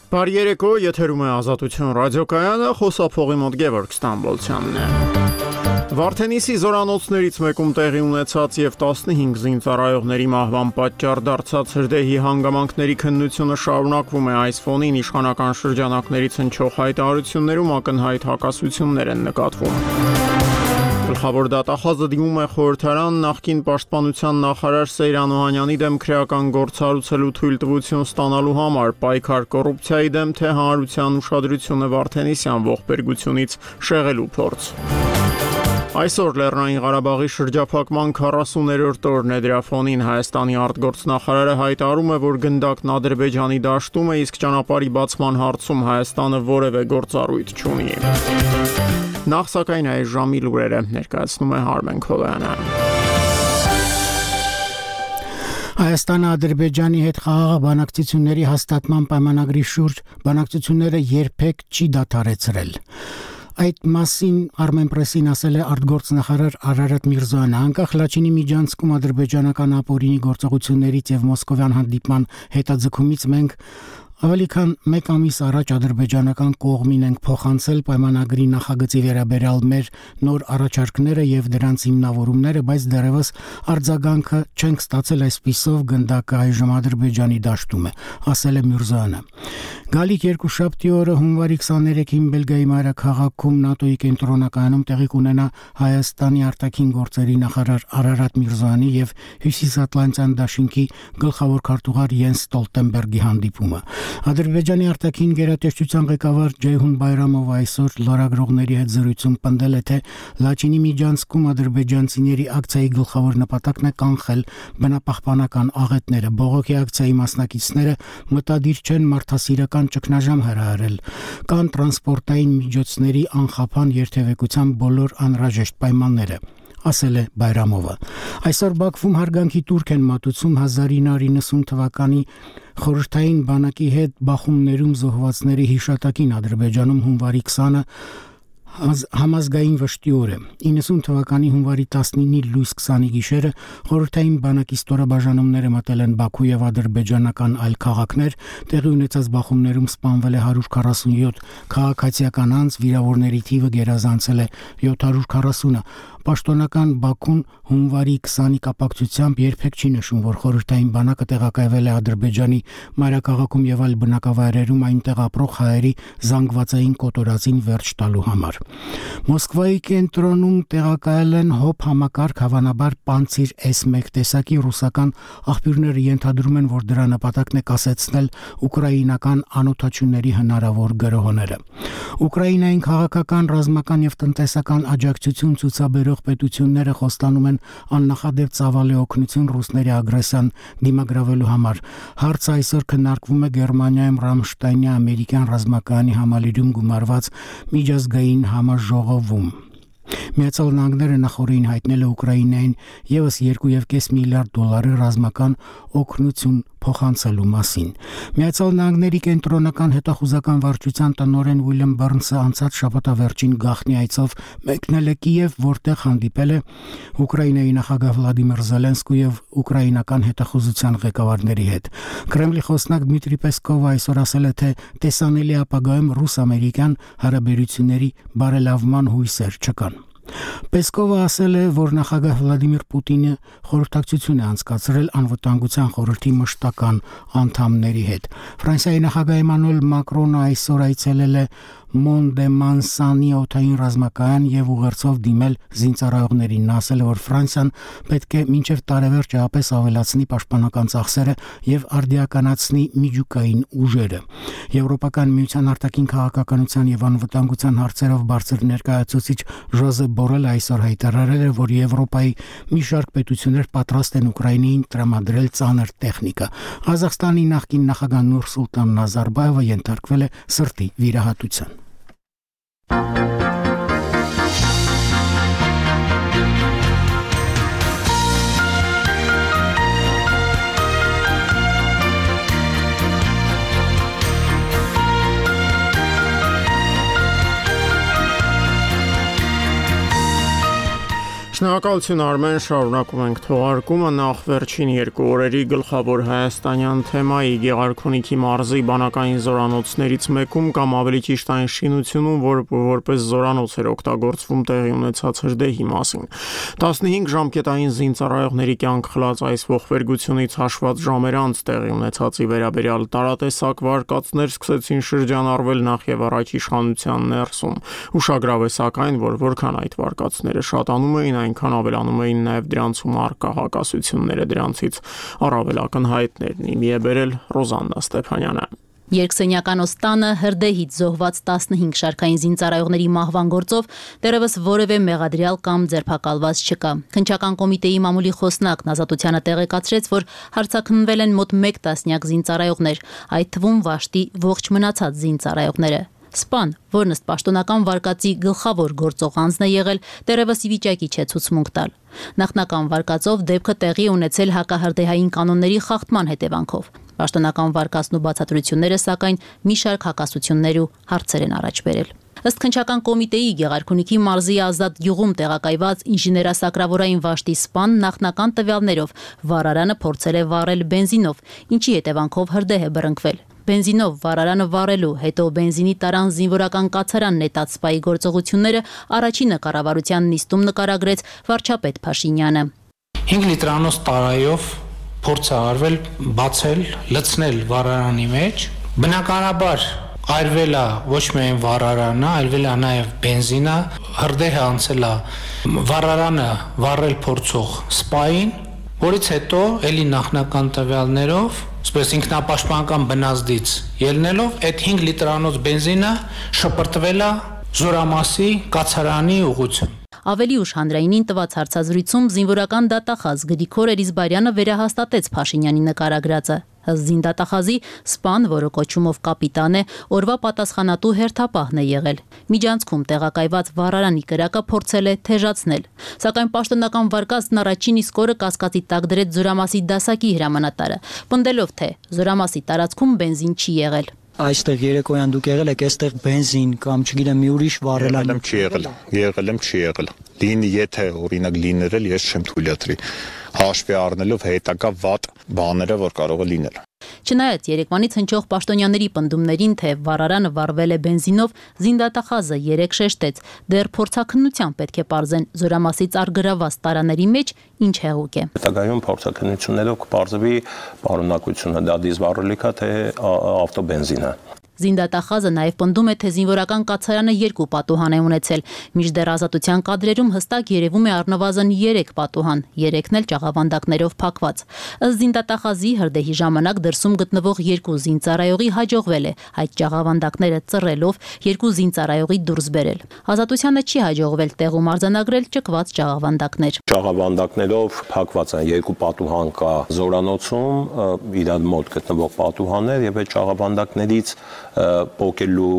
Բարի երեկո, եթերում է Ազատություն ռադիոկայանը, խոսափողի մոտ Գևորգ Ստամբոլցյանն է։ Վարդենիսի զորանոցներից մեկում տեղի ունեցած եւ 15 զինծառայողների մահվան պատճառ դարձած հրդեհի հանգամանքների քննությունը շարունակվում է այս ֆոնին իշխանական շրջանակներից հնչող հայտարարություններում ակնհայտ հակասություններ են նկատվում։ Գլխավոր դատախազը դիմում է խորհրդարան նախկին պաշտպանության նախարար Սեյրան Օհանյանի դեմ քրեական գործառույցելու թույլտվություն ստանալու համար պայքար կոռուպցիայի դեմ, թե հանրության ուշադրությունը Վարդենիսյան ողբերգությունից շեղելու փորձ։ Այսօր Լեռնային Ղարաբաղի շրջափակման 40-րդ օրն է, դրա ֆոնին Հայաստանի արտգործնախարարը հայտարարում է, որ գնդակն Ադրբեջանի դաշտում է, իսկ ճանապարհի բացման հարցում Հայաստանը որևէ գործառույթ չունի։ Նախ սակայն այս ժամի լուրերը ներկայացնում է Հարմեն Քոլյանը։ Հայաստանը Ադրբեջանի հետ խաղաղ բանակցությունների հաստատման պայմանագրի շուրջ բանակցությունները երբեք չի դադարեցրել։ Այդ մասին Armenpress-ին ասել է արտգործնախարար Արարատ Միրզոյանը, անկախ Լաչինի միջանցքում ադրբեջանական ապօրինի գործողություններից եւ մոսկովյան հանդիպման հետաձգումից մենք ավելի քան 1 ամիս առաջ ադրբեջանական կողմին ենք փոխանցել պայմանագրի նախագծի վերաբերյալ մեր նոր առաջարկները եւ դրանց հիմնավորումները, բայց դեռևս արձագանքը չենք ստացել, այսպիսով գնդակը այժմ Ադրբեջանի դաշտում է, ասել է Միրզոյանը։ Գալիք երկուշաբթի օրը հունվարի 23-ին Բելգիայի մայրաքաղաքում ՆԱՏՕ-ի կենտրոնակայանում տեղի կունենա Հայաստանի արտաքին գործերի նախարար Արարատ Միրզոյանի եւ Հյուսիսատլանտյան դաշինքի գլխավոր քարտուղար Յենս Ստոլտենբերգի հանդիպումը։ Ադրբեջանի արտաքին գերատեսչության ղեկավար Ջեյհուն Բայրամովը այսօր լրագրողների հետ զրույցում պնդել է, թե Լաչինի միջանցքում ադրբեջանցիների ակցիայի գլխավոր նպատակն է կանխել բնապահպանական աղետները։ Բողոքի ակցիայի մասնակիցները մտադիր չեն մարդասիրական ճգնաժամ հրահրել, կան տրանսպորտային միջոցների անխափան երթևեկության բոլոր անհրաժեշտ պայմանները, ասել է Բայրամովը։ Այսօր Բաքվում հարգանքի տուրք են մատուցում 1990 թվականի խորհրդային բանակի հետ բախումներում զոհվածների հիշատակին Ադրբեջանում հունվարի 20-ը համազգային վշտի օր է։ 90 թվականի հունվարի 19-ի լույս 20-ի գիշերը խորհրդային բանակի ստորաբաժանումները մտել են Բաքու եւ ադրբեջանական այլ քաղաքներ, տեղի ունեցած բախումներում սպանվել է 147 քաղաքացիական անձ, վիրավորների թիվը գերազանցել է 740-ը։ Պաշտոնական Բաքուն հունվարի 20-ի կապակցությամբ երբեք չի նշում, որ խորհրդային բանակը տեղակայվել է Ադրբեջանի մայրաքաղաքում եւ այլ բնակավայրերում այնտեղ ապրող հայերի զանգվածային կոտորածին վերջ տալու համար։ Մոսկվայի կենտրոնում տեղակայել են ՀՕՊ համակարգ, հավանաբար Պանցիր S1 տեսակի ռուսական աղբյուրները ենթադրում են, որ դրա նպատակն է կասեցնել ուկրաինական անօթաչուների հնարավոր գրոհները։ Ուկրաինային քաղաքական, ռազմական եւ տնտեսական աջակցություն ցուցաբերող պետությունները խոստանում են աննախադեպ ծավալի օգնություն ռուսների ագրեսիան դիմագրավելու համար։ Հարցը այսօր քննարկվում է Գերմանիայում Ռամշտայնի ամերիկյան ռազմակայանի համալիրում գումարված միջազգային համաժողովում։ Միացյալ Նահանգները նախորդին հայտնել է Ուկրաինային եւս 2.5 միլիարդ դոլարի ռազմական օգնություն փոխանցելու մասին։ Միացյալ Նահանգների կենտրոնական հետախուզական վարչության տնօրեն Ուիլյամ Բառնսը անցած շաբաթավերջին գաղտնի այցով մեկնել է Կիև, որտեղ հանդիպել է Ուկրաինայի նախագահ Վլադիմիր Զելենսկու եւ ուկրաինական հետախուզության ղեկավարների հետ։ Կրեմլի խոսնակ Դմիտրի Պեսկովը այսօր ասել է, թե տեսանելի ապագայում ռուս-ամերիկյան հարաբերությունների բարելավման հույսեր չկան։ Պեսկովը ասել է, որ նախագահ Վլադիմիր Պուտինը խորհրդակցություն է անցկացրել անվտանգության խորհրդի մշտական անդամների հետ։ Ֆրանսիայի նախագահ Էմանուել Մակրոնը այսօր այցելել է Մոնդեմանսանի օդային ռազմակայան եւ ուղերձով դիմել զինծառայողներին։ Նա ասել է, որ Ֆրանսիան պետք է մինչև տարեվերջ ապես ավելացնի պաշտպանական ծախսերը եւ արդիականացնի միջուկային ուժերը։ Եվրոպական միության արտաքին քաղաքականության եւ անվտանգության հարցերով բարձր ներկայացուցիչ Ժոզեփ Բորելը այսօր հայտարարել է, որ Եվրոպայի մի շարք պետություններ պատրաստ են Ուկրաինային տրամադրել ծանր տեխնիկա։ Ղազախստանի նախկին նախագահ Նուրսուլտան Նազարբայևը ենթարկվել է սրտի վիրահատության։ Շնորհակալություն Արմեն, շարունակում ենք թողարկումը նախ վերջին 2 օրերի գլխավոր հայաստանյան թեմայի Գեղարքունիքի մարզի բանակային զորանոցներից մեկում կամ ավելի ճիշտ այն շինությունում, որը որպես զորանոց էր օգտագործվում տեղի ունեցած հրդեհի մասին։ 15 ժամկետային զինծառայողների կյանք խլած այս ողբերգությունից հաշված ժամեր անց տեղի ունեցածի վերաբերյալ տարատեսակ վարկածներ սկսեցին շրջանառվել նախ եւ առաջ իշխանության ներսում։ Ուշագրավ է սակայն, որ որքան այդ վարկածները շատանում էին, այնքան ավելանում էին նաև դրանցում առկա հակասությունները, դրանցից առավել ակնհայտներն իմի է բերել Ռոզաննա Ստեփանյանը։ Երկսենյական օստանը հրդեհից զոհված 15 շարքային զինծառայողների մահվան գործով դեռևս որևէ մեղադրյալ կամ ձերբակալված չկա։ Քննչական կոմիտեի մամուլի խոսնակն Ազատությանը տեղեկացրեց, որ հարցաքննվել են մոտ 1 տասնյակ զինծառայողներ, այդ թվում Վաշտի ողջ մնացած զինծառայողները։ Սպան, որն ըստ պաշտոնական վարկածի գլխավոր գործող անձն է եղել, դեռևս ի վիճակի չէ ցուցմունք տալ։ Նախնական վարկածով դեպքը տեղի է ունեցել հակահրդեհային կանոնների խախտման հետևանքով։ Պաշտոնական վարկածն ու բացատրությունները սակայն մի շարք հակասություններ ու հարցեր են առաջ բերել։ Ըստ քննչական կոմիտեի Գեղարքունիքի մարզի Ազատ գյուղում տեղակայված ինժեներասակրավորային Վաշտի սպան նախնական տվյալներով վառարանը փորձել է վառել բենզինով, ինչի հետևանքով հրդեհ է բռնկվել։ Բենզինով վառարանը վառելու, հետո բենզինի տարան զինվորական կացարան նետած սպայի գործողությունները առաջինը կառավարության նիստում նկարագրեց վարչապետ Փաշինյանը։ 5 լիտրանոց տարայով փորձ է արվել բացել, լցնել վառարանի մեջ։ Բնականաբար այրվել է ոչ միայն վառարանը, այրվել է նաև բենզինը, հրդեհը անցել է վառարանը վառել փորձող սպային, որից հետո էլի նախնական տվյալներով, այսպես ինքնապաշտպանական բնազդից ելնելով, այդ 5 լիտրանոց բենզինը շպրտվել է Զորամասի կացարանի ուղղությամբ։ Ավելի ուշ հանրայինին տված հարցազրույցում զինվորական դատախազ Գրիգոր Էլիզբարյանը վերահաստատեց Փաշինյանի նկարագրածը։ Զինդատախազի սպան, որը կոչումով կապիտան է, օրվա պատասխանատու հերթապահն է եղել։ Միջանցքում տեղակայված վառարանի կրակը փորձել է թեժացնել, սակայն պաշտոնական վարկածն առաջին իսկ օրը կասկածի տակ դրեց Զորամասի դասակի հրամանատարը, պնդելով, թե Զորամասի տարածքում բենզին չի եղել։ Այստեղ երեկոյան դուք եղել եք, այստեղ բենզին կամ չգիտեմ մի ուրիշ վառելան եղել եմ, չի եղել։ Լինի, եթե օրինակ լիներ, ես չեմ թույլատրի, հաշվի առնելով հետագա վատ բաները, որ կարող է լինել։ Չնայած երեկվանից հնչող պաշտոնյաների պնդումներին, թե վառարանը վառվել է բենզինով, զինդատախազը երեկ շեշտեց, դեռ փորձաքննությամբ պետք է պարզեն Զորամասից արգրաված տարաների մեջ ինչ հեղուկ է։ Հետագայում փորձաքննություններով կպարզվի պարունակությունը, դա դիզվառելիք է, թե ավտոբենզին է։ Զինդատախազը նաև պնդում է, թե զինվորական կացարանը 2 պատուհան է ունեցել, մինչդեռ Ազատության կադրերում հստակ երևում է առնվազն 3 պատուհան, 3-ն էլ ճաղավանդակներով փակված։ Ըստ զինդատախազի հրդեհի ժամանակ դրսում գտնվող 2 զինծառայողի հաջողվել է այդ ճաղավանդակները ծռելով 2 զինծառայողի դուրս բերել։ Ազատությանը չի հաջողվել տեղում արձանագրել ճկված ճաղավանդակներ։ Ճաղավանդակներով փակված են 2 պատուհան կա Զորանոցում, իրար մոտ գտնվող պատուհաններ եւ այդ ճաղավանդակներից պոկելու,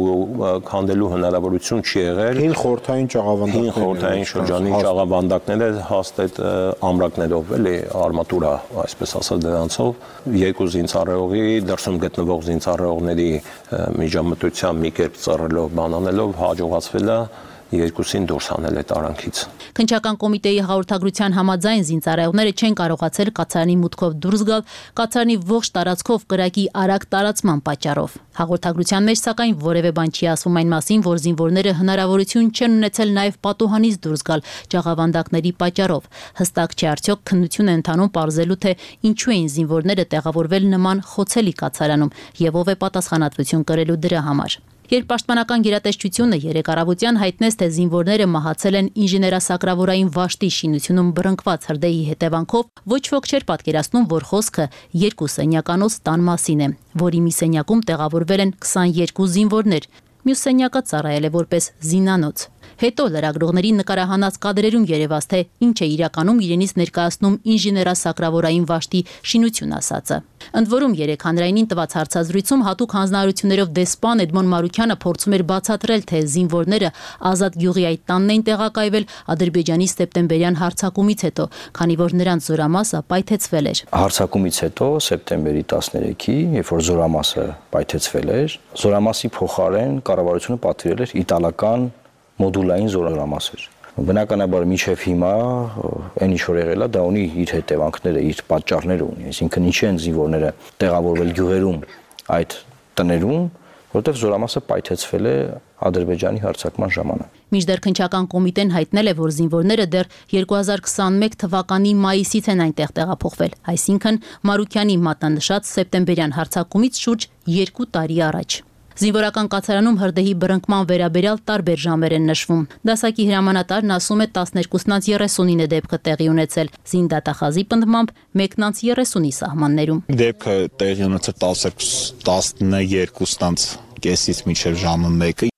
քանդելու հնարավորություն չի եղել։ Հին խորհրդային շրջանի ճաղավանդակները հաստ այդ ամրակներով էլի արմատուրա, այսպես ասած դրանցով 2 զինծառայողի դրսում գտնվող զինծառայողների միջամտությամբ մի կերպ ծռելով, բանանելով հաջողացվել է 2-ին դուրս հանել այդ արանքից։ Քննչական կոմիտեի հաղորդագրության համաձայն զինծառայողները չեն կարողացել կացարանի մուտքով դուրս գալ կացարանի ողջ տարածքով կրակի արագ տարածման պատճառով։ Հաղորդագրության մեջ սակայն որևէ բան չի ասվում այն մասին, որ զինվորները հնարավորություն չեն ունեցել նաև պատուհանից դուրս գալ ճաղավանդակների պատճառով։ Հստակ չի արդյոք քննություն է ընթանում պարզելու, թե ինչու էին զինվորները տեղավորվել նման խոցելի կացարանում եւ ով է պատասխանատվություն կրելու դրա համար։ Երբ պաշտպանական գերատեսչությունը երեկ առավոտյան հայտնեց, թե զինվորները մահացել են ինժեներասակրավորային Վաշտի շինությունում բռնկված հրդեհի հետևանքով, ոչ ոք չէր պատկերացնում, որ խոսքը 2 սենյականոց տան մասին է, որի մի սենյակում տեղավորվել են 22 զինվորներ, մյուս սենյակը ծառայել է որպես զինանոց։ Հետո լրագրողների նկարահանած կադրերում երևաց, թե ինչ է իրականում իրենից ներկայացնում ինժեներասակրավորային Վաշտի շինություն ասածը։ Ընդ որում երեկ հանրայինին տված հարցազրույցում հատուկ հանձնարարություններով դեսպան Էդմոն Մարուքյանը փորձում էր բացատրել, թե զինվորները Ազատ գյուղի այդ տանն էին տեղակայվել Ադրբեջանի սեպտեմբերյան հարձակումից հետո, քանի որ նրանց Զորամասը պայթեցվել էր։ Հարձակումից հետո սեպտեմբերի 13-ի, երբ որ Զորամասը պայթեցվել էր, Զորամասի փոխարեն կառավարությունը պատվիրել էր իտալական մոդուլային զորամասեր, Բնականաբար միջև հիմա այն ինչ որ եղել է, դա ունի իր հետևանքները, իր պատճառները ունի, այսինքն ինչի են զինվորները տեղավորվել գյուղերում այդ տներում, որտեղ զորամասը պայթեցվել է Ադրբեջանի հարձակման ժամանակ։ Մինչդեռ քննչական կոմիտեն հայտնել է, որ զինվորները դեռ 2021 թվականի մայիսից են այնտեղ տեղափոխվել, այսինքն Մարուքյանի մատնանշած սեպտեմբերյան հարձակումից շուրջ 2 տարի առաջ։ Զինվորական կացարանում հրդեհի բռնկման վերաբերյալ տարբեր ժամեր են նշվում։ Դասակի հրամանատարն ասում է 12:39 դեպքը տեղի ունեցել, զինդատախազի պնդմամբ 1:30-ի սահմաններում։ Դեպքը տեղի ունեցել 12:30-ից մինչև ժամը 1-ը։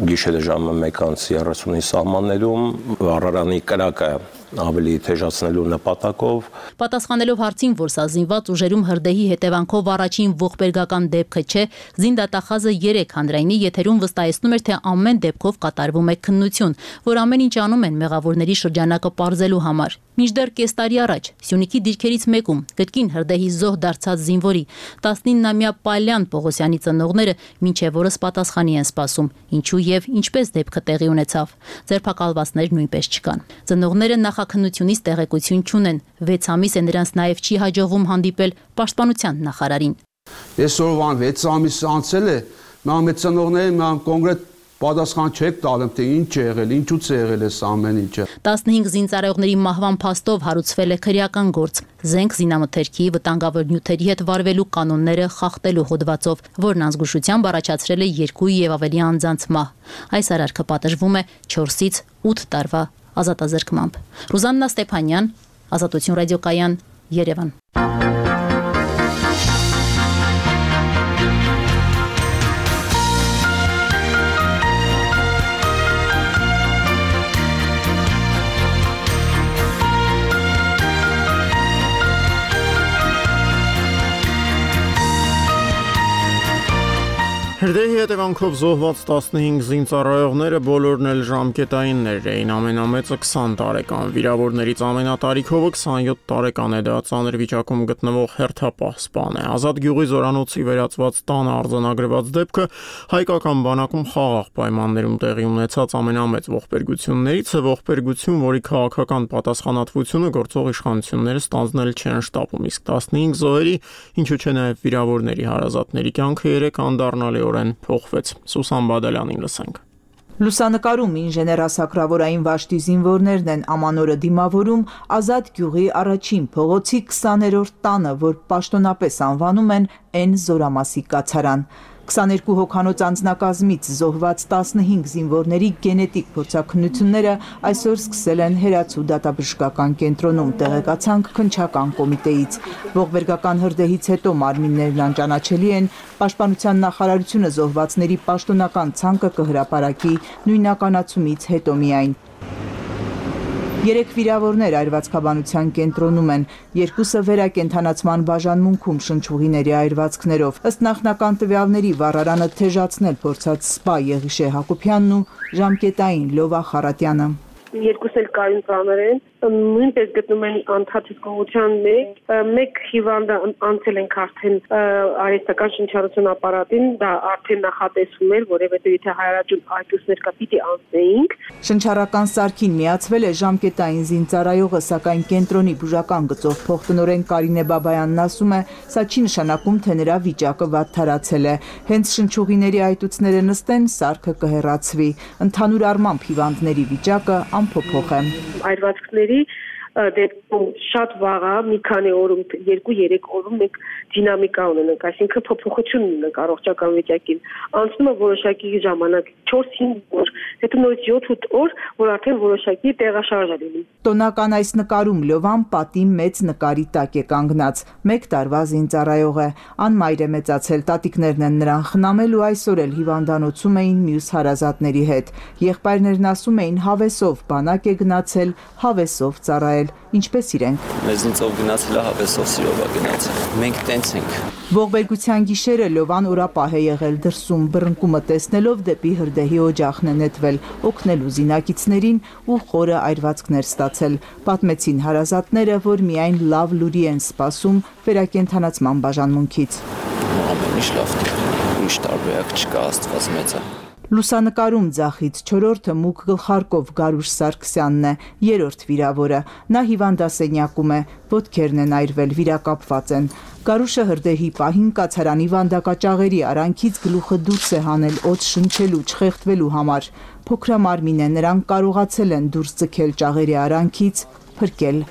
Գիշերը ժամը 1:30-ի սահմաններում վառարանի կրակը ավելի թեժացնելու նպատակով Պատասխանելով հարցին, որ սա զինված ուժերում հրդեհի հետևանքով առաջին ողբերգական դեպքը չէ, զինդատախազը 3 հանրայինի եթերում վստահեցնում էր, թե ամեն դեպքով կատարվում է քննություն, որ ամեն ինչ անում են մեղավորների շրջանակը պարզելու համար։ Մինչդեռ կես տարի առաջ Սյունիքի դիրքերից մեկում կրկին հրդեհի զոհ դարձած զինվորի 19-ամյա Պալյան Պողոսյանի ծնողները մինչև օրս պատասխանի են սպասում, ինչու եւ ինչպես դեպքը տեղի ունեցավ։ Ձերբակալվածներ նույնպես չկան։ Ծնողները նախաքննությունից տեղեկություն չունեն, 6 ամիս է նրանց նաեւ չի հաջողվում հանդիպել պաշտպանության նախարարին։ Այսօրվան 6 ամիս անցել է, մեր ծնողներին կոնկրետ պատասխան չեք տալում, թե ինչ է եղել, ինչուց է եղել այս ամեն ինչը։ 15 զինծառայողների մահվան փաստով հարուցվել է քրեական գործ, զենք զինամթերքի, վտանգավոր նյութերի հետ վարվելու կանոնները խախտելու հոդվածով, որն անզգուշությամբ առաջացրել է 2 եւ ավելի անձանց մահ։ Այս արարքը պատժվում է 4-ից 8 տարվա ազատազրկմամբ։ Ռուզաննա Ստեփանյան, Ազատություն ռադիոկայան, Երևան։ Հրդեհի հետևանքով զոհված 15 զինծառայողները բոլորն էլ ժամկետայիններ էին, ամենամեծը 20 տարեկան, վիրավորներից ամենատարիքովը 27 տարեկան է, դա ծանր վիճակում գտնվող հերթապահ սպան է։ Ազատ գյուղի զորանոցի վերածված տանը արձանագրված դեպքը հայկական բանակում խաղաղ պայմաններում տեղի ունեցած ամենամեծ ողբերգություններից է, ողբերգություն, որի քաղաքական պատասխանատվությունը գործող իշխանությունները ստանձնել չեն շտապում, իսկ 15 զոհերի, ինչու չէ նաև վիրավորների հարազատների կյանքը 3 անդառնալիորեն փոխվեց։ Սուսան Բադալյանին լսենք։ Լուսանկարում ինժեներ ասակրավորային վաշտի զինվորներն են ամանորը դիմավորում Ազատ գյուղի առաջին փողոցի 20-րդ տանը, որ պաշտոնապես անվանում են N զորամասի կացարան։ 22 հոգանոց անձնակազմից զոհված 15 զինվորների գենետիկ փորձաքննությունները այսօր սկսել են Հերացու դատաբժշկական կենտրոնում, տեղեկացանք քննչական կոմիտեից։ Ողբերգական հրդեհից հետո մարմիններն անճանաչելի են, Պաշտպանության նախարարությունը զոհվածների պաշտոնական ցանկը կհրապարակի նույնականացումից հետո միայն։ 3 վիրավորներ այրվածքաբանության կենտրոնում են, 2-ը վերակենդանացման բաժանմունքում շնչուղիների այրվածքներով։ Ըստ նախնական տվյալների վառարանը թեժացնել փորձած սպա Եղիշե Հակոբյանն ու ժամկետային Լովա Խարատյանը։ Երկուսն էլ կայուն ծանր են, նույնպես գտնում են անթափիկության մեկ հիվանդը անցել ենք արդեն արհեստական շնչառություն ապարատին, դա արդեն նախատեսվում էր, որովհետև եթե հայրաջուն այդուսներ կա պիտի անցնեինք։ Շնչառական սարքին միացվել է ժամկետային զինծառայողը, սակայն կենտրոնի բուժական գծով փոխտնօրեն Կարինե Բաբայանն ասում է, սա չի նշանակում, թե նրա վիճակը վատթարացել է։ Հենց շնչուղիների այտուցները նստեն, սարքը կհեռացվի։ Ընդհանուր առմամբ հիվանդների վիճակը անփոփոխ է։ Այրվածքների դեպքում շատ վաղ է, մի քանի օրում, 2-3 օրում մենք դինամիկա ունենք, այսինքն փոփոխություն ունենք առողջական վիճակին։ Անցնում է որոշակի ժամանակ 4-5 օր, հետո նորից 7-8 օր, որ արդեն որոշակի տեղաշարժ է լինում։ Տոնական այս նկարում Լովան պատի մեծ նկարի տակ է կանգնած, 1 տարվա զինծառայող է, անմայր է մեծացել, տատիկներն են նրան խնամել ու այսօր էլ հիվանդանոցում էին մյուս հարազատների հետ։ Եղբայրներն ասում էին հավեսով բանակ է գնացել, հավեսով ծառայել, ինչպես իրենք։ Մեզնիցով գնացել է, հավեսով սիրով է գնացել։ Մենք տենց ենք։ Ողբերգության գիշերը Լովան օրապահ է եղել դրսում, բռնկումը տեսնելով դեպի հրդեհի օջախն է նետվել, օգնելու զինակիցներին ու խորը այրվածքներ ստացել։ Պատմեցին հարազատները, որ միայն լավ լուրի են սպասում վերակենդանացման բաժանմունքից։ Ամեն ինչ լավ է, ուրիշ տարբերակ չկա, Աստված մեծ է։ Լուսանկարում ձախից 4-րդը մուգ գլխարկով Գարուշ Սարգսյանն է, 3-րդ վիրավորը։ Նա հիվանդասենյակում է, ոտքերն են այրվել, վիրակապված են։ Գարուշը հրդեհի պահին կացարանի վանդակաճաղերի արանքից գլուխը դուրս է հանել օդ շնչելու, չխեղդվելու համար։ Փոքրամարմին է, նրանք կարողացել են դուրս ձգել ճաղերի արանքից, փրկել։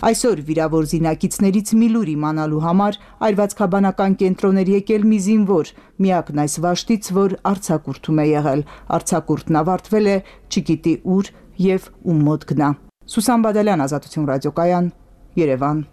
Այսօր վիրավոր զինակիցներից մի լուր իմանալու համար այրվածքաբանական կենտրոն էր եկել մի զինվոր, միակն այս վաշտից, որ արձակուրդում է եղել։ Արձակուրդն ավարտվել է, չգիտի ուր եւ ում մոտ գնա։ Սուսան Բադալյան, Ազատություն ռադիոկայան, Երևան։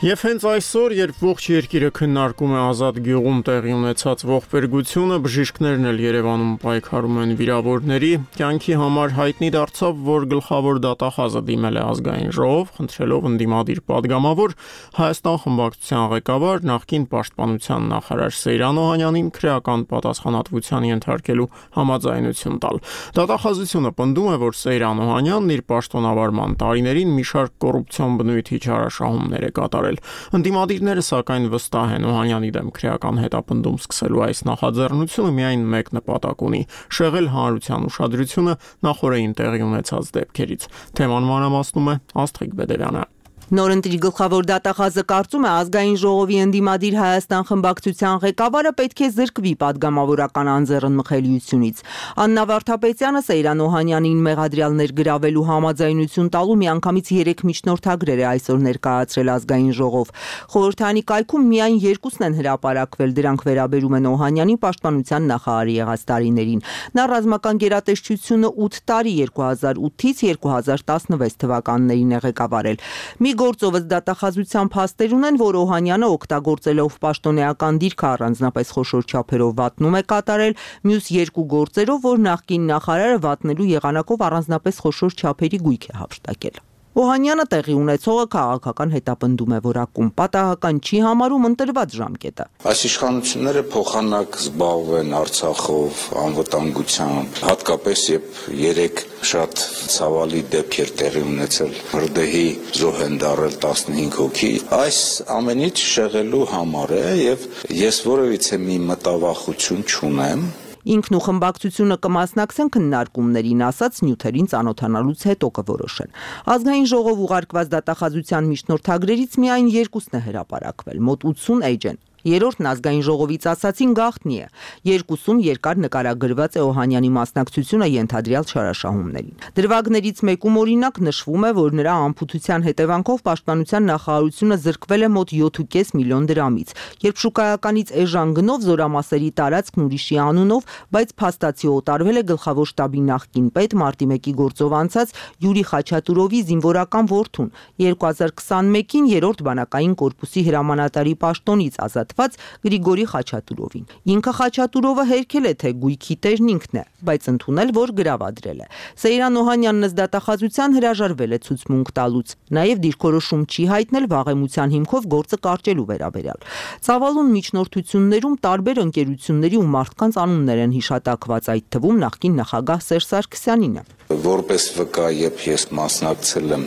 Եվ հենց այսօր, երբ ողջ երկիրը քննարկում է Ազատ գյուղում տեղի ունեցած ողբերգությունը, բժիշկներն էլ Երևանում պայքարում են վիրավորների, կյանքի համար հայտնի դարձավ, որ գլխավոր դատախազը դիմել է ազգային ժողով, խնդրելով ընդդիմադիր падգամավոր Հայաստան խմբակցության ղեկավար, նախկին պաշտպանության նախարար Սեյրան Օհանյանին քրեական պատասխանատվության ենթարկելու համաձայնություն տալ։ Դատախազությունը պնդում է, որ Սեյրան Օհանյանն իր պաշտոնավարման տարիներին մի շարք կոռուպցիոն բնույթի չարաշահումներ է կատարել։ Ընդդիմադիրները սակայն վստահ են Օհանյանի դեմ քրեական հետապնդում սկսելու այս նախաձեռնությունը միայն մեկ նպատակ ունի՝ շեղել հանրության ուշադրությունը նախորդին տեղի ունեցած դեպքերից։ Թեման մանրամասնում է Աստղիկ Բեդերյանը։ Նորընտիր գլխավոր դատախազը կարծում է ազգային ժողովի ընդդիմադիր Հայաստան խմբակցության ղեկավարը պետք է զրկվի падգամավորական անձեռնմխելիությունից։ Աննա Վարդապետյանը Սեյրան Օհանյանին մեղադրյալներ գրավելու համաձայնություն տալու միանգամից 3 միջնորդագրեր է այսօր ներկայացրել ազգային ժողով։ Խորհրդարանի կայքում միայն 2-ն են հրապարակվել, դրանք վերաբերում են Օհանյանի պաշտպանության նախարարի եղած տարիներին։ Նա ռազմական գերատեսչությունը 8 տարի 2008-ից 2016 թվականներին է ղեկավարել։ Մի գործով դատախազության փաստեր ունեն, որ Օհանյանը օգտագործելով պաշտոնեական դիրքը առանձնապես խոշոր չափերով վատնում է կատարել, մյուս 2 գործերով, որ նախկին նախարարը վատնելու եղանակով առանձնապես խոշոր չափերի գույք է հափշտակել։ Օհանյանը տեղի ունեցողը քաղաքական հետապնդում է որակում, պատահական չի համարում ընտրված ժամկետը։ Այս իշխանությունները փոխանակ զբաղվեն Արցախով, անվտանգությամբ, հատկապես երբ 3 շատ ցավալի դեպքեր տեղի ունեցել, հրդեհի զոհ են դառել 15 հոգի, այս ամենից շեղելու համար է եւ ես որևիցե մի մտավախություն չունեմ։ Ինքն ու խմբակցությունը կմասնակցեն քննարկումներին, ասաց նյութերին ծանոթանալուց հետո կորոշեն։ Ազգային ժողով ուղարկված դատախազության միջնորդագրերից միայն 2-ն է հրապարակվել, մոտ 80 էջ են։ Երրորդն ազգային ժողովից ասացին գաղտնի է։ 2-ում երկար նկարագրված է Օհանյանի մասնակցությունը ենթադրյալ չարաշահումներին։ Դրվագներից մեկում օրինակ նշվում է, որ նրա անփութության հետևանքով պաշտպանության նախարարությունը զրկվել է մոտ 7.5 միլիոն դրամից, երբ շուկայականից էժան գնով զորամասերի տարածքն ուրիշի անունով, բայց փաստացի օտարվել է գլխավոր շտաբի նախկին պետ մարտի 1-ի գործով անցած Յուրի Խաչատուրովի զինվորական որդուն 2021-ին 3-րդ բանակային կորպուսի հրամանատարի պաշտոնից ազատ Գրիգորի Խաչատուրովին։ Ինքը Խաչատուրովը հերքել է, թե գույքի տերն ինքն է, բայց ընդունել, որ գրավադրել է։ Սեյրան Օհանյանն ըստ դատախազության հրաժարվել է ցուցմունք տալուց։ Նաև դիրքորոշում չի հայտնել վաղեմության հիմքով գործը կարճելու վերաբերյալ։ Ծավալուն միջնորդություններում տարբեր ընկերությունների ու մարդկանց անուններ են հիշատակված, այդ թվում նախկին նախագահ Սերժ Սարգսյանինը։ Որպես վկա, երբ ես մասնակցել եմ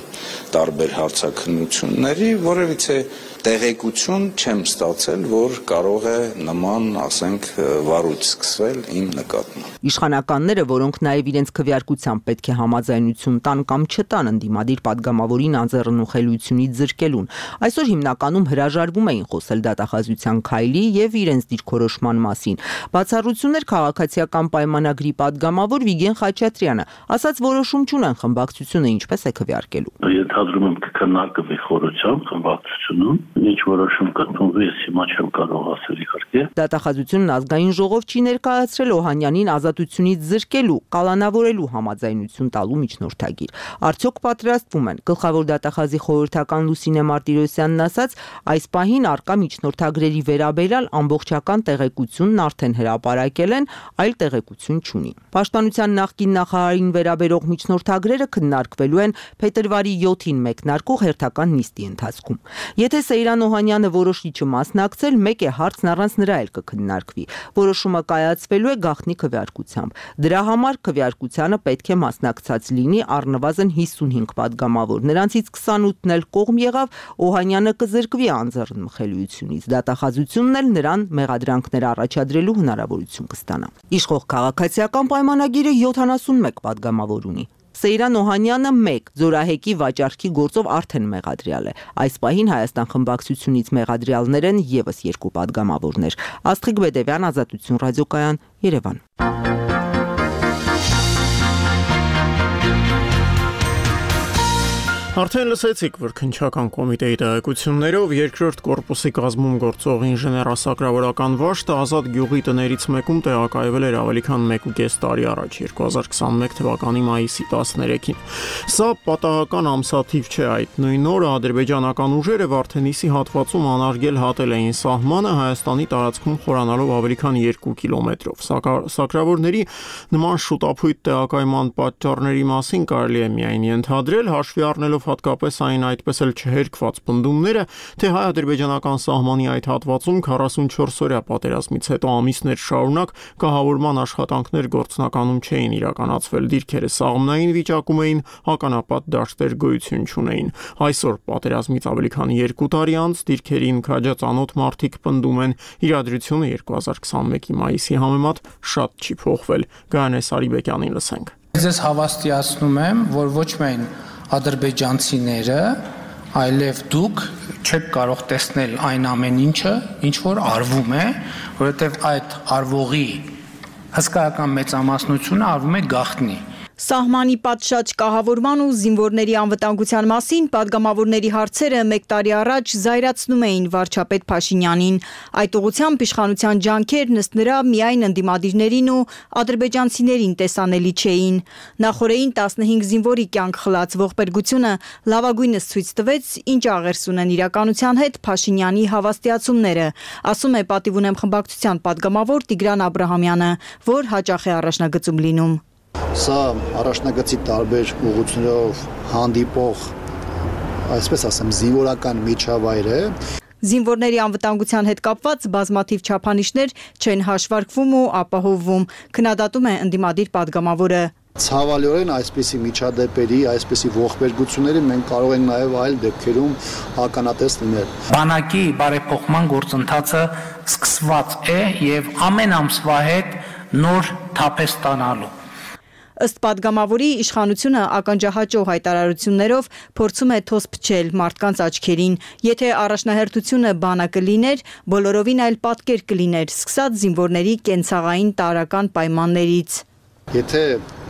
տարբեր հարցաքննությունների, որևիցե տեղեկություն չեմ ստացել, որ կարող է նման, ասենք, վարույթ սկսվել իմ նկատմամբ։ Իշխանականները, որոնք նաև իրենց քվեարկությամբ պետք է համաձայնություն տան կամ չտան ընդդիմադիր падգամավորին անձեռնմխելիությունից զրկելուն, այսօր հիմնականում հրաժարվում էին խոսել դատախազության քայլի եւ իրենց դիրքորոշման մասին։ Բացառություններ քաղաքացիական պայմանագրի падգամավոր Վիգեն Խաչատրյանը ասաց, որոշում չունեն խմբակցությունը ինչպես է քվեարկելու։ Ենթադրում եմ կքննարկվի խորությամբ խմբակցությունում, ինչ որոշում կընդունվի, ես հիմա չեմ կարող ասել իհարկե։ Դատախազությունն ազգային ժողով չի ներկայացրել Օհանյանին ազատությունից զրկելու, կալանավորելու համաձայնություն տալու միջնորդագիր։ Արդյոք պատրաստվում են։ Գլխավոր դատախազի խորհրդական Լուսինե Մարտիրոսյանն ասաց, այս պահին արկա միջնորդագրերի վերաբերյալ ամբողջական տեղեկությունն արդեն հրապարակել են, այլ տեղեկություն չունի։ Պաշտպանության նախկին նախարարին վերաբերող միջնորդագրերը քննարկվելու են փետրվարի 7-ին մեկնարկող հերթական նիստի ընթացքում։ Եթե Սեյրան Օհանյանը որոշի չմասնակցել, խոսել, մեկ է հարցն առանց նրա էլ կքննարկվի։ Որոշումը կայացվելու է գաղտնի քվեարկությամբ։ Դրա համար քվեարկությանը պետք է մասնակցած լինի առնվազն 55 падգամավոր։ Նրանցից 28-ն էլ կողմ եղավ, Օհանյանը կզրկվի անձեռնմխելիությունից։ Դատախազությունն էլ նրան մեղադրանքներ առաջադրելու հնարավորություն կստանա։ Իշխող քաղաքացիական պայմանագիրը 71 падգամավոր ունի։ Սեյրան Օհանյանը 1 Զորահեկի վաճառքի գործով արդեն մեղադրյալ է։ Այս պահին Հայաստան խմբակցությունից մեղադրյալներ են եւս 2 падգամավորներ։ Աստղիկ Բեդևյան, Ազատություն ռադիոկայան, Երևան։ Արդեն լսեցիք, որ քննչական կոմիտեի տեղեկություններով երկրորդ կորպուսի կազմում գործող ինժեներասակրավորական վաշտը Ազատ գյուղի տներից մեկում տեղակայվել էր ավելի քան 1.5 տարի առաջ, 2021 թվականի մայիսի 13-ին։ Սա պատահական ամսաթիվ չէ, այդ նույն օրը ադրբեջանական ուժերը Վարդենիսի հատվածում անարգել հատել էին սահմանը Հայաստանի տարածքում խորանալով ավելի քան 2 կիլոմետրով։ Սակրավորների նման շուտափույթ տեղակայման պատճառների մասին կարելի է միայն ենթադրել, հաշվի առնելով հատկապես այն այդպես էլ չհերկված պնդումները, թե հայ-ադրբեջանական սահմանի այդ հատվածում 44-օրյա պատերազմից հետո ամիսներ շարունակ կահավորման աշխատանքներ գործնականում չէին իրականացվել, դիրքերը սաղմնային վիճակում էին, հականապատ դաշտեր գոյություն չունեին։ Այսօր պատերազմից ավելի քան 2 տարի անց դիրքերին քաջածանոթ մարդիկ պնդում են, իրադրությունը 2021-ի մայիսի համեմատ շատ չի փոխվել։ Գայանե Սարիբեկյանին լսենք։ Ձեզ հավաստիացնում եմ, որ ոչ միայն ադրբեջանցիները, այլև դուք չեք կարող տեսնել այն ամեն ինչը, ինչ որ արվում է, որովհետև այդ արվողի հսկայական մեծամասնությունը արվում է գաղտնի։ Սահմանի պատշաճ կահավորման ու զինվորների անվտանգության մասին падգամավորների հարցերը 1 տարի առաջ զայրացնում էին վարչապետ Փաշինյանին։ Այդ ուղղությամբ իշխանության ջանքերն ըստ նրա միայն ընդդիմադիրներին ու ադրբեջանցիներին տեսանելի չէին։ Նախորդին 15 զինվորի կյանք խլած ողբերգությունը լավագույնս ցույց տվեց, ինչ աղերս ունեն իրականության հետ Փաշինյանի հավաստիացումները, ասում է Պատիվ ունեմ խմբակցության падգամավոր Տիգրան Աբրահամյանը, որ հաճախ է առաջնագծում լինում։ Սա առաջնագծի տարբեր ուղղություններով հանդիպող, այսպես ասեմ, զինվորական միջավայր է։ Զինվորների անվտանգության հետ կապված բազմաթիվ չափանիշներ չեն հաշվարկվում ու ապահովվում, քննադատում է ընդդիմադիր падգամավորը։ Ցավալիորեն այսպիսի միջադեպերի, այսպիսի ողբերգությունների մենք կարող ենք նաև այլ դեպքերում ականատես լինել։ Բանակի բարեփոխման գործընթացը սկսված է եւ ամեն ամսվա հետ նոր թափ է ստանալու։ Ըստ падգամավորի իշխանությունը ականջահաճո հայտարարություններով փորձում է թոս փչել մարդկանց աչքերին։ Եթե առաջնահերթությունը բանակը լիներ, բոլորովին այլ պատկեր կլիներ, սկսած զինվորների կենցաղային տարրական պայմաններից։ Եթե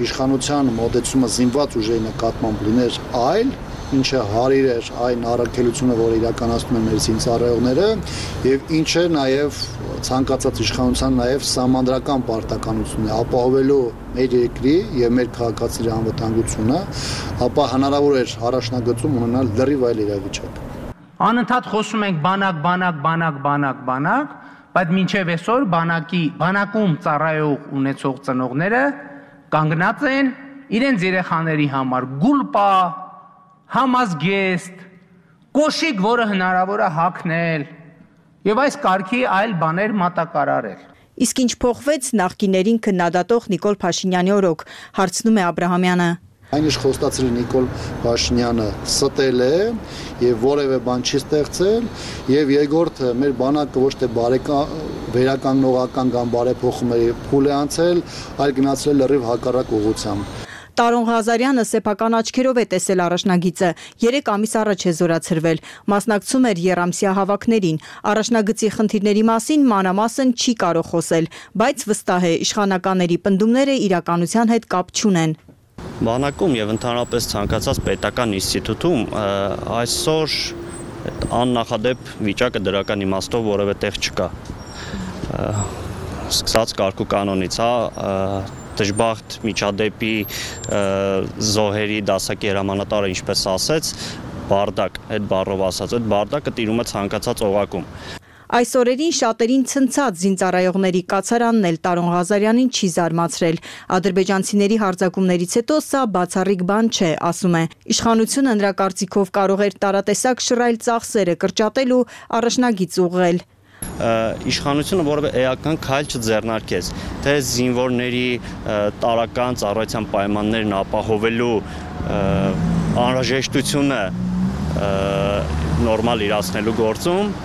իշխանության մոտեցումը զինված ուժերի նկատմամբ լիներ այլ, ինչը հարիր էր այն առաքելությունը, որ իրականացնում են մեր զինծառայողները, եւ ինչը նաեւ ցանկացած իշխանության նաեւ սահմանադրական պարտականություն է ապահովելու մեր երկրի եւ մեր քաղաքացիների անվտանգությունը, ապա հնարավոր էր առաջնագծում ունենալ լրիվ այլ իրավիճակ։ Անընդհատ խոսում ենք բանակ, բայց մինչև այսօր բանակում ծառայող ունեցող ծնողները կանգնած են իրենց երեխաների համար գուլպա, համազգեստ, կոշիկ, որը հնարավոր է հագնել եւ այս կարգի այլ բաներ մատակարարել։ Իսկ ինչ փոխվեց նախկիներին քննադատող Նիկոլ Փաշինյանի օրոք, հարցնում է Աբրահամյանը։ Այն ինչ խոստացրի Նիկոլ Փաշինյանը ստել է եւ որևէ բան չի ստեղծել եւ երկրորդ մեր բանակը ոչ թե վերականգնողական կամ բարեփոխումների փուլ է անցել, այլ գնացել լրիվ հակառակ ուղղությամբ։ Տարոն Ղազարյանը սեփական աչքերով է տեսել առաջնագիծը, 3 ամիս առաջ է զորացրվել, մասնակցում էր եռամսյա հավաքներին, առաջնագծի խնդիրների մասին մանրամասն չի կարող խոսել, բայց վստահ է իշխանականների պնդումները իրականության հետ կապ չունեն։ Բանակում եւ ընդհանրապես ցանկացած պետական ինստիտուտում այսօր աննախադեպ վիճակը դրական իմաստով որևէ տեղ չկա։ Սկսած կարգ ու կանոնից, դժբախտ միջադեպի զոհերի դասակի հրամանատարը ինչպես ասեց, բարդակ, այդ բառով ասած, այդ բարդակը տիրում է ցանկացած օղակում։ Այս օրերին շատերին ցնցած զինծառայողների կացարանն էլ Տարոն Ղազարյանին չի զարմացրել։ Ադրբեջանցիների հարձակումներից հետո սա բացառիկ բան չէ, ասում է։ Իշխանությունը նրա կարծիքով կարող էր տարատեսակ շռայլ ծախսերը կրճատել ու առաջնագիծ ուղղել։ իշխանությունը որևէ էական քայլ չձեռնարկեց, թե զինվորների տարական ծառայության պայմաններն ապահովելու անհրաժեշտությունը նորմալ իրացնելու գործում,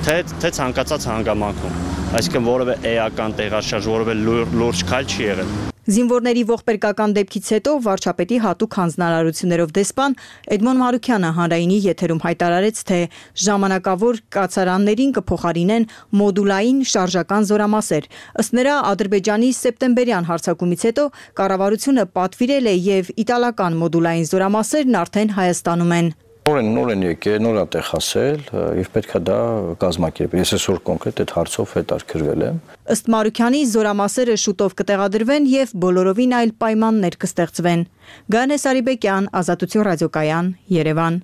թե ցանկացած հանգամանքում, այսինքն որևէ էական տեղաշարժ, որևէ լուրջ քայլ չի եղել։ Զինվորների ողբերգական դեպքից հետո վարչապետի հատուկ հանձնարարություններով դեսպան Էդմոն Մարուկյանը հանրայինի եթերում հայտարարեց, թե ժամանակավոր կացարաններին կփոխարինեն մոդուլային շարժական զորամասեր։ Ըստ նրա, Ադրբեջանի սեպտեմբերյան հարձակումից հետո կառավարությունը պատվիրել է եւ իտալական մոդուլային զորամասերն արդեն Հայաստանում են։ Նոր են եկել, նոր է տեղ հասել եւ պետք է դա կազմակերպել։ Ես այսօր կոնկրետ այդ հարցով հետաքրքրվել եմ։ Ըստ Մարուկյանի զորամասերը շուտով կտեղադրվեն եւ բոլորովին այլ պայմաններ կստեղծվեն։ Գանե Սարիբեկյան, Ազատություն ռադիոկայան, Երևան։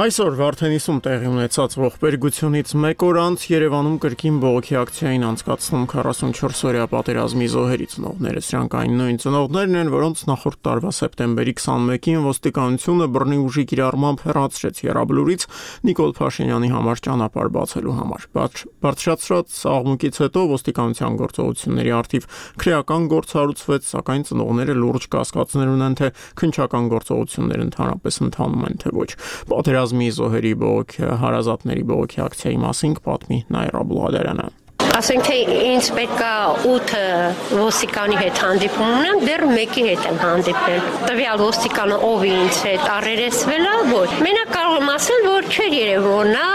Այսօր Վարդենիսում տեղի ունեցած ողբերգությունից մեկ օր անց Երևանում կրկին բողոքի ակցիային անցկացնում 44-օրյա պատերազմի զոհերի ծնողները։ Սրանք այն նույն ծնողներն են, որոնց նախորդ տարվա սեպտեմբերի 21-ին ոստիկանությունը բռնի ուժի կիրառմամբ հեռացրեց Եռաբլուրից Նիկոլ Փաշինյանի համար ճանապարհ բացելու համար։ Բարձրացրած աղմուկից հետո ոստիկանության գործողությունների առթիվ քրեական գործ հարուցվեց, սակայն ծնողները լուրջ կասկածներ ունեն, թե քննչական գործողությունները ընդհանրապես ընթանում են, թե ոչ։ Պատերազմի զոհերի բողոքի, հարազատների բողոքի ակցիայի մասին պատմի Նաիրա Բլադարյանը։ Ասենք թե ինձ պետք է 8 ոստիկանի հետ հանդիպում ունեմ, դեռ մեկի հետ եմ հանդիպել։ Տվյալ ոստիկանը ով ինձ հետ առերեսվել է, ոչ։ Մենակ կարող եմ ասել, որ չէր երևում, որ նա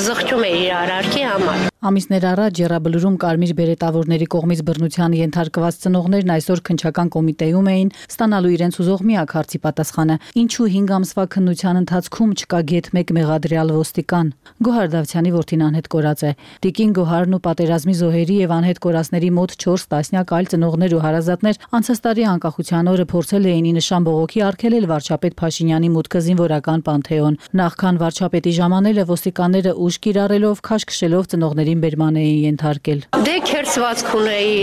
զղջում է իր արարքի համար։ Ամիսներ առաջ Եռաբլուրում կարմիր բերետավորների կողմից բռնության ենթարկված ծնողներն այսօր քննչական կոմիտեում էին ստանալու իրենց ուզող միակ հարցի պատասխանը. ինչու 5 ամսվա քննության ընթացքում չկա գեթ 1 մեղադրյալ ոստիկան։ Գոհար Դավթյանի որդին անհետ կորած է։ Տիկին Գոհարն ու պատերազմի զոհերի եւ անհետ կորածների մոտ 4 տասնյակ այլ ծնողներ ու հարազատներ անցած տարի անկախության օրը փորձել էին ի նշան բողոքի արգելել վարչապետ Փաշինյանի մուտքը զինվորական պանթեոն։ Նախքան վարչապետի ժամանելը ոստիկանները ուժ կիրառելով քաշքշելով ծնողներին բերման էին ենթարկել։ Դե քերծվածք ունեի,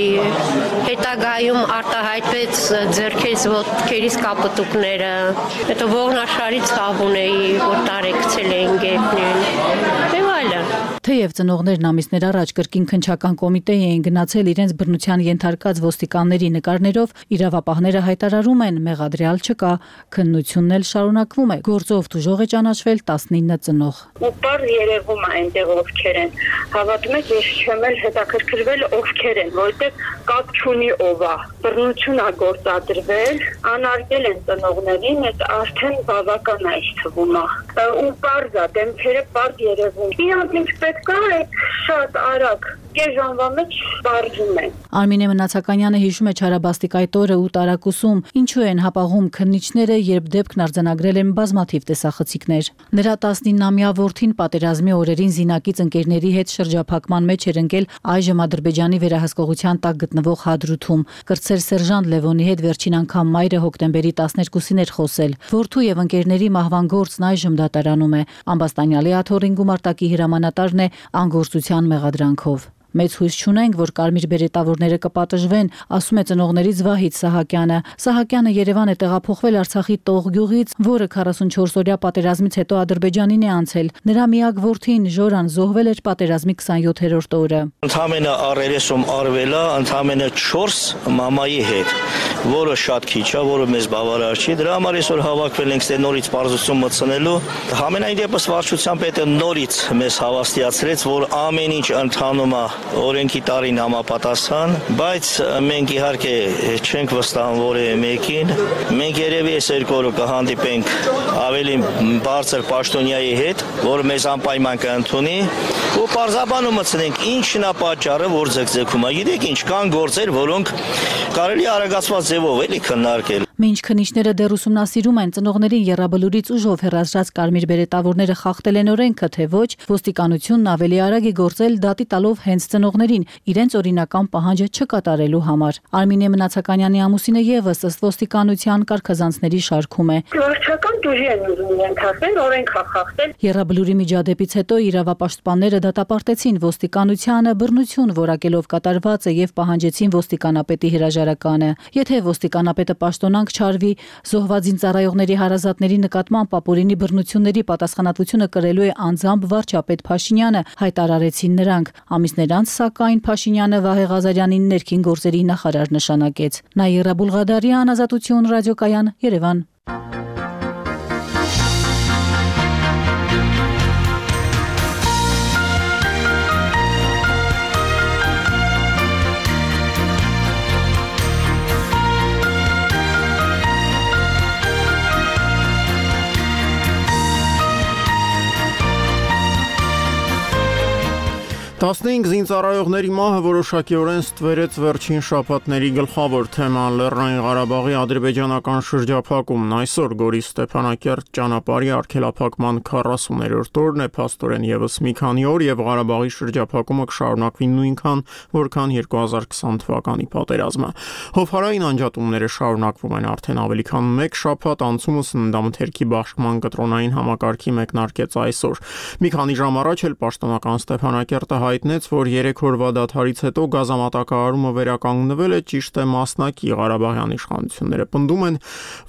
հետագայում արտահայտվեց ձեռքերից ոտքերից կապտուկները, հետո ողնաշարի ցավ ունեի, որ տարեկցել էին գետնին։ Եվ այլն։ Թեև ծնողներն ամիսներ առաջ կրկին քննչական կոմիտեի էին գնացել իրենց բռնության ենթարկած ոստիկանների նկարներով, իրավապահները հայտարարում են մեղադրյալ չկա, քննությունն էլ շարունակվում է։ Գործով դժող է ճանաչվել 19 ծնող։ Ու բար երևում է այնտեղ ովքեր են։ Հավատում եք, ես չեմ էլ հետաքրքրվել ովքեր են, որովհետև կապ չունի ով է։ Բռնություն է գործադրվել, անարգել են ծնողներին, այդ արդեն բավական է թվում է։ Ու բարձ է, դեմքերը բարձ երևում։ Իրանք ինչ պետք է, այդ շատ արագ կես ժամվա մեջ բարձում են։ Արմինե Մնացականյանը հիշում է Չարաբաստիկ այդ օրը ու տարակուսում, ինչու են հապաղում քննիչները, երբ դեպքն արձանագրել են բազմաթիվ տեսախցիկներ։ Նրա 19-ամյա որդին պատերազմի օրերին զինակից ընկերների հետ շրջափակման մեջ էր ընկել այժմ Ադրբեջանի վերահսկողության տակ գտնվող Հադրութում։ Կրտսեր սերժանտ Լևոնի հետ վերջին անգամ մայրը հոկտեմբերի 12-ին էր խոսել։ Որդու եւ ընկերների մահվան գործն այժմ դատարանում է։ Ամբաստանյալի աթոռին գումարտակի հրամանատարն է անգործության մեղադրանքով։ Մեծ հույս չունենք, որ կարմիր բերետավորները կպատժվեն, ասում է ծնողներից Վահիթ Սահակյանը։ Սահակյանը Երևան է տեղափոխվել Արցախի Տող գյուղից, որը 44-օրյա պատերազմից հետո Ադրբեջանին է անցել։ Նրա միակ որդին Ժորան զոհվել էր պատերազմի 27-րդ օրը։ Ընդամենը առերեսում արվել է ընդամենը 4 մամայի հետ, որը շատ քիչ է, որը մեզ բավարար չի։ Դրա համար այսօր հավաքվել ենք նորից բարձրություն մտցնելու։ Համենայն դեպս վարչության պետը նորից մեզ հավաստիացրեց, որ ամեն ինչ ընթանում է օրենքի տարին համապատասխան, բայց մենք իհարկե չենք վստահում որևէ մեկին։ Մենք երևի այս երկու օրը կհանդիպենք ավելի բարձր պաշտոնյայի հետ, որը մեզ անպայման կընդունի ու պարզաբանում մտցնենք ինչն է պատճառը, որ ձգձգում է։ Գիտեք ինչ, կան գործեր, որոնք կարելի արագացված ձևով էլի քննարկել։ Մինչ քննիչները դեռ ուսումնասիրում են ծնողներին եռաբլուրից ուժով հեռացրած կարմիր բերետավորները խախտել են օրենքը, թե ոչ, ոստիկանությունն ավելի արագ է գործել դատի տալով հենց ծնողներին իրենց օրինական պահանջը չկատարելու համար։ Արմինե Մնացականյանի ամուսինը եւս ըստ ոստիկանության կարգազանցների շարքում է։ Վարչական դուրի են ուզում ենթարկել, օրենք խախտել։ Եռաբլուրի միջադեպից հետո իրավապաշտպանները դատապարտեցին ոստիկանությանը բռնություն որակելով կատարվածը եւ պահանջեցին ոստիկանապետի հրաժարականը։ Եթե ոստիկանապետը պաշտոնանք չարվի, զոհված զինծառայողների հարազատների նկատմամբ ապօրինի բռնությունների պատասխանատվությունը կրելու է անձամբ վարչապետ Փաշինյանը, հայտարարեցին նրանք։ Ամիսներ անց, սակայն, Փաշինյանը Վահե Ղազարյանին ներքին գործերի նախարար նշանակեց։ Նաիրա Բուլղադարյան, Ազատություն ռադիոկայան, Երևան։ Տասնհինգ զինծառայողների մահը որոշակիորեն ստվերեց վերջին շաբաթների գլխավոր թեման Լեռնային Ղարաբաղի ադրբեջանական շրջափակումն այսօր Գորիս Ստեփանակերտ ճանապարհի արգելափակման 40-րդ օրն է, փաստորեն եւս մի քանի օր եւ Ղարաբաղի շրջափակումը կշարունակվի նույնքան, որքան 2020 թվականի պատերազմը։ Հովհարային անջատումները շարունակվում են արդեն ավելի քան 1 շաբաթ, անցումը սննդամթերքի բաշխման կտրոնային համակարգի մեկնարկեց այսօր։ Մի քանի ժամ առաջ էլ պաշտոնական Ստեփանակերտը հայտնեց, որ 3 օրվա դադարից հետո գազամատակարարումը վերականգնվել է, ճիշտ է մասնակի Ղարաբաղյան իշխանությունները պնդում են,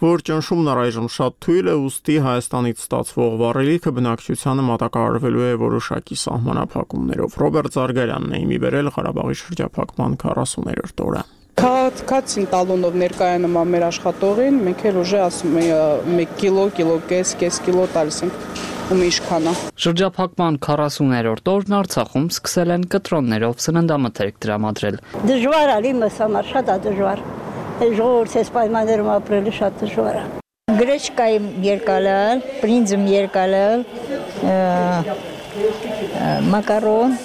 որ ճնշումն առայժմ շատ թույլ է, ուստի Հայաստանից ստացվող վառելիքը բնակչությանը մատակարարվելու է որոշակի սահմանափակումներով։ Ռոբերտ Զարգարյանն է իմի բերել Ղարաբաղի շրջափակման 40-րդ օրը։ Քաղաքացին տալոնով ներկայանում մեր աշխատողին, մենք էլ ուժը ասում ենք 1 կիլո, կես կիլո տալիս ենք ում իշխանա։ Շրջափակման 40-րդ օրն Արցախում սկսել են կտրոններով սննդամթերք տրամադրել։ Դժվար է իմս համար, շատ է դժվար։ Ժողովուրդի պայմաններում ապրելը շատ դժվար է։ Գրեչկայի երկալալ, բրինձում երկալալ, մակարոն,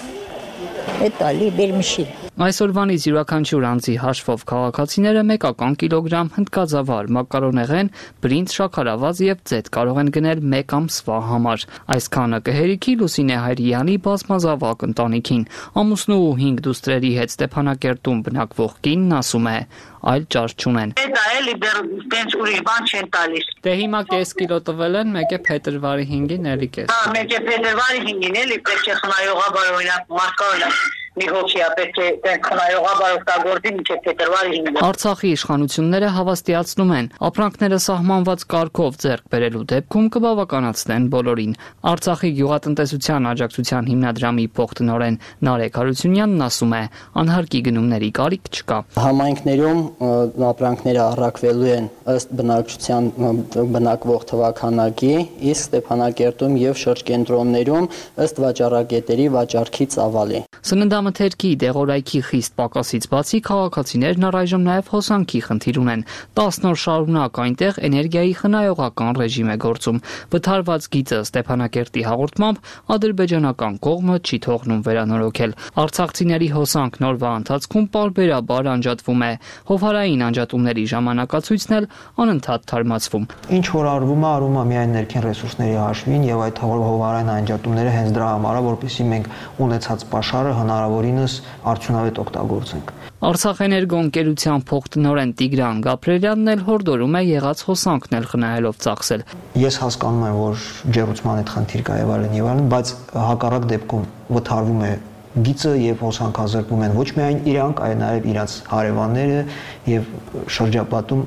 էտալի բերմիշի։ Այսօրվանից յուրաքանչյուր անձի հաշվով քաղաքացիները մեկական կիլոգրամ հնդկածավալ, մակարոնեղեն, բրինձ, շաքարավազ եւ ձեթ կարող են գնել 1 ամսվա համար։ Այսքանը կհերիքի Լուսինե Հայրյանի բազմազավակ ընտանիքին։ Ամուսնու ու 5 դուստրերի հետ Ստեփանակերտում բնակվող կինն ասում է, այլ ճար չունեն։ Դա էլի դեռ տենց ուրիշ բան չեն տալիս։ Դե հիմա կես կիլո տվել են, մեկ է փետրվարի 5-ին էլի կես։ Հա, մեկ է փետրվարի 5-ին էլի պետք է խնայողաբար օրինակ մարկարոնը մի հոգի պետք է տենց խնայողաբար օգտագործի մինչև փետրվարի 5-ին։ Արցախի իշխանությունները հավաստիացնում են, ապրանքները սահմանված կարգով ձեռք բերելու դեպքում կբավականացնեն բոլորին։ Արցախի գյուղատնտեսության աջակցության հիմնադրամի փոխտնօրեն Նարեկ Հարությունյանն ասում է, անհարկի գնումների կարիք չկա։ Համայնքներում ապրանքները առաքվելու են ըստ բնակչության բնակվող թվաքանակի, իսկ Ստեփանակերտում եւ շրջկենտրոններում ըստ վաճառակետերի վաճառքի ծավալի։ Սննդամթերքի դեղորայքի խիստ պակասից բացի քաղաքացիներն առայժմ նաև հոսանքի խնդիր ունեն։ 10 օր շարունակ այնտեղ էներգիայի խնայողական ռեժիմ է գործում։ Վթարված գիծը Ստեփանակերտի հաղորդմամբ ադրբեջանական կողմը չի թողնում վերանորոգել։ Արցախցիների հոսանքն օրվա ընթացքում պարբերաբար անջատվում է։ Հովհարային անջատումների ժամանակացույցն էլ անընդհատ թարմացվում։ Ինչ որ արվում է միայն ներքին ռեսուրսների հաշվին եւ այդ հովհարային անջատումները հենց դրա համար է, որպեսզի մենք ունեցած պաշարը հնարավորինս արդյունավետ օգտագործենք։ Արցախ էներգո ընկերության փոխտնօրեն Տիգրան Գաբրելյանն էլ հորդորում է եղած հոսանքն էլ խնայելով ծախսել։ Ես հասկանում եմ, որ ջեռուցման այդ խնդիր կա եւ այլն, բայց հակառակ դեպքում վթարվում է գիծը եւ հոսանքազրկվում են ոչ միայն իրանք, այլ նաեւ իրաց հարևանները եւ շրջապատում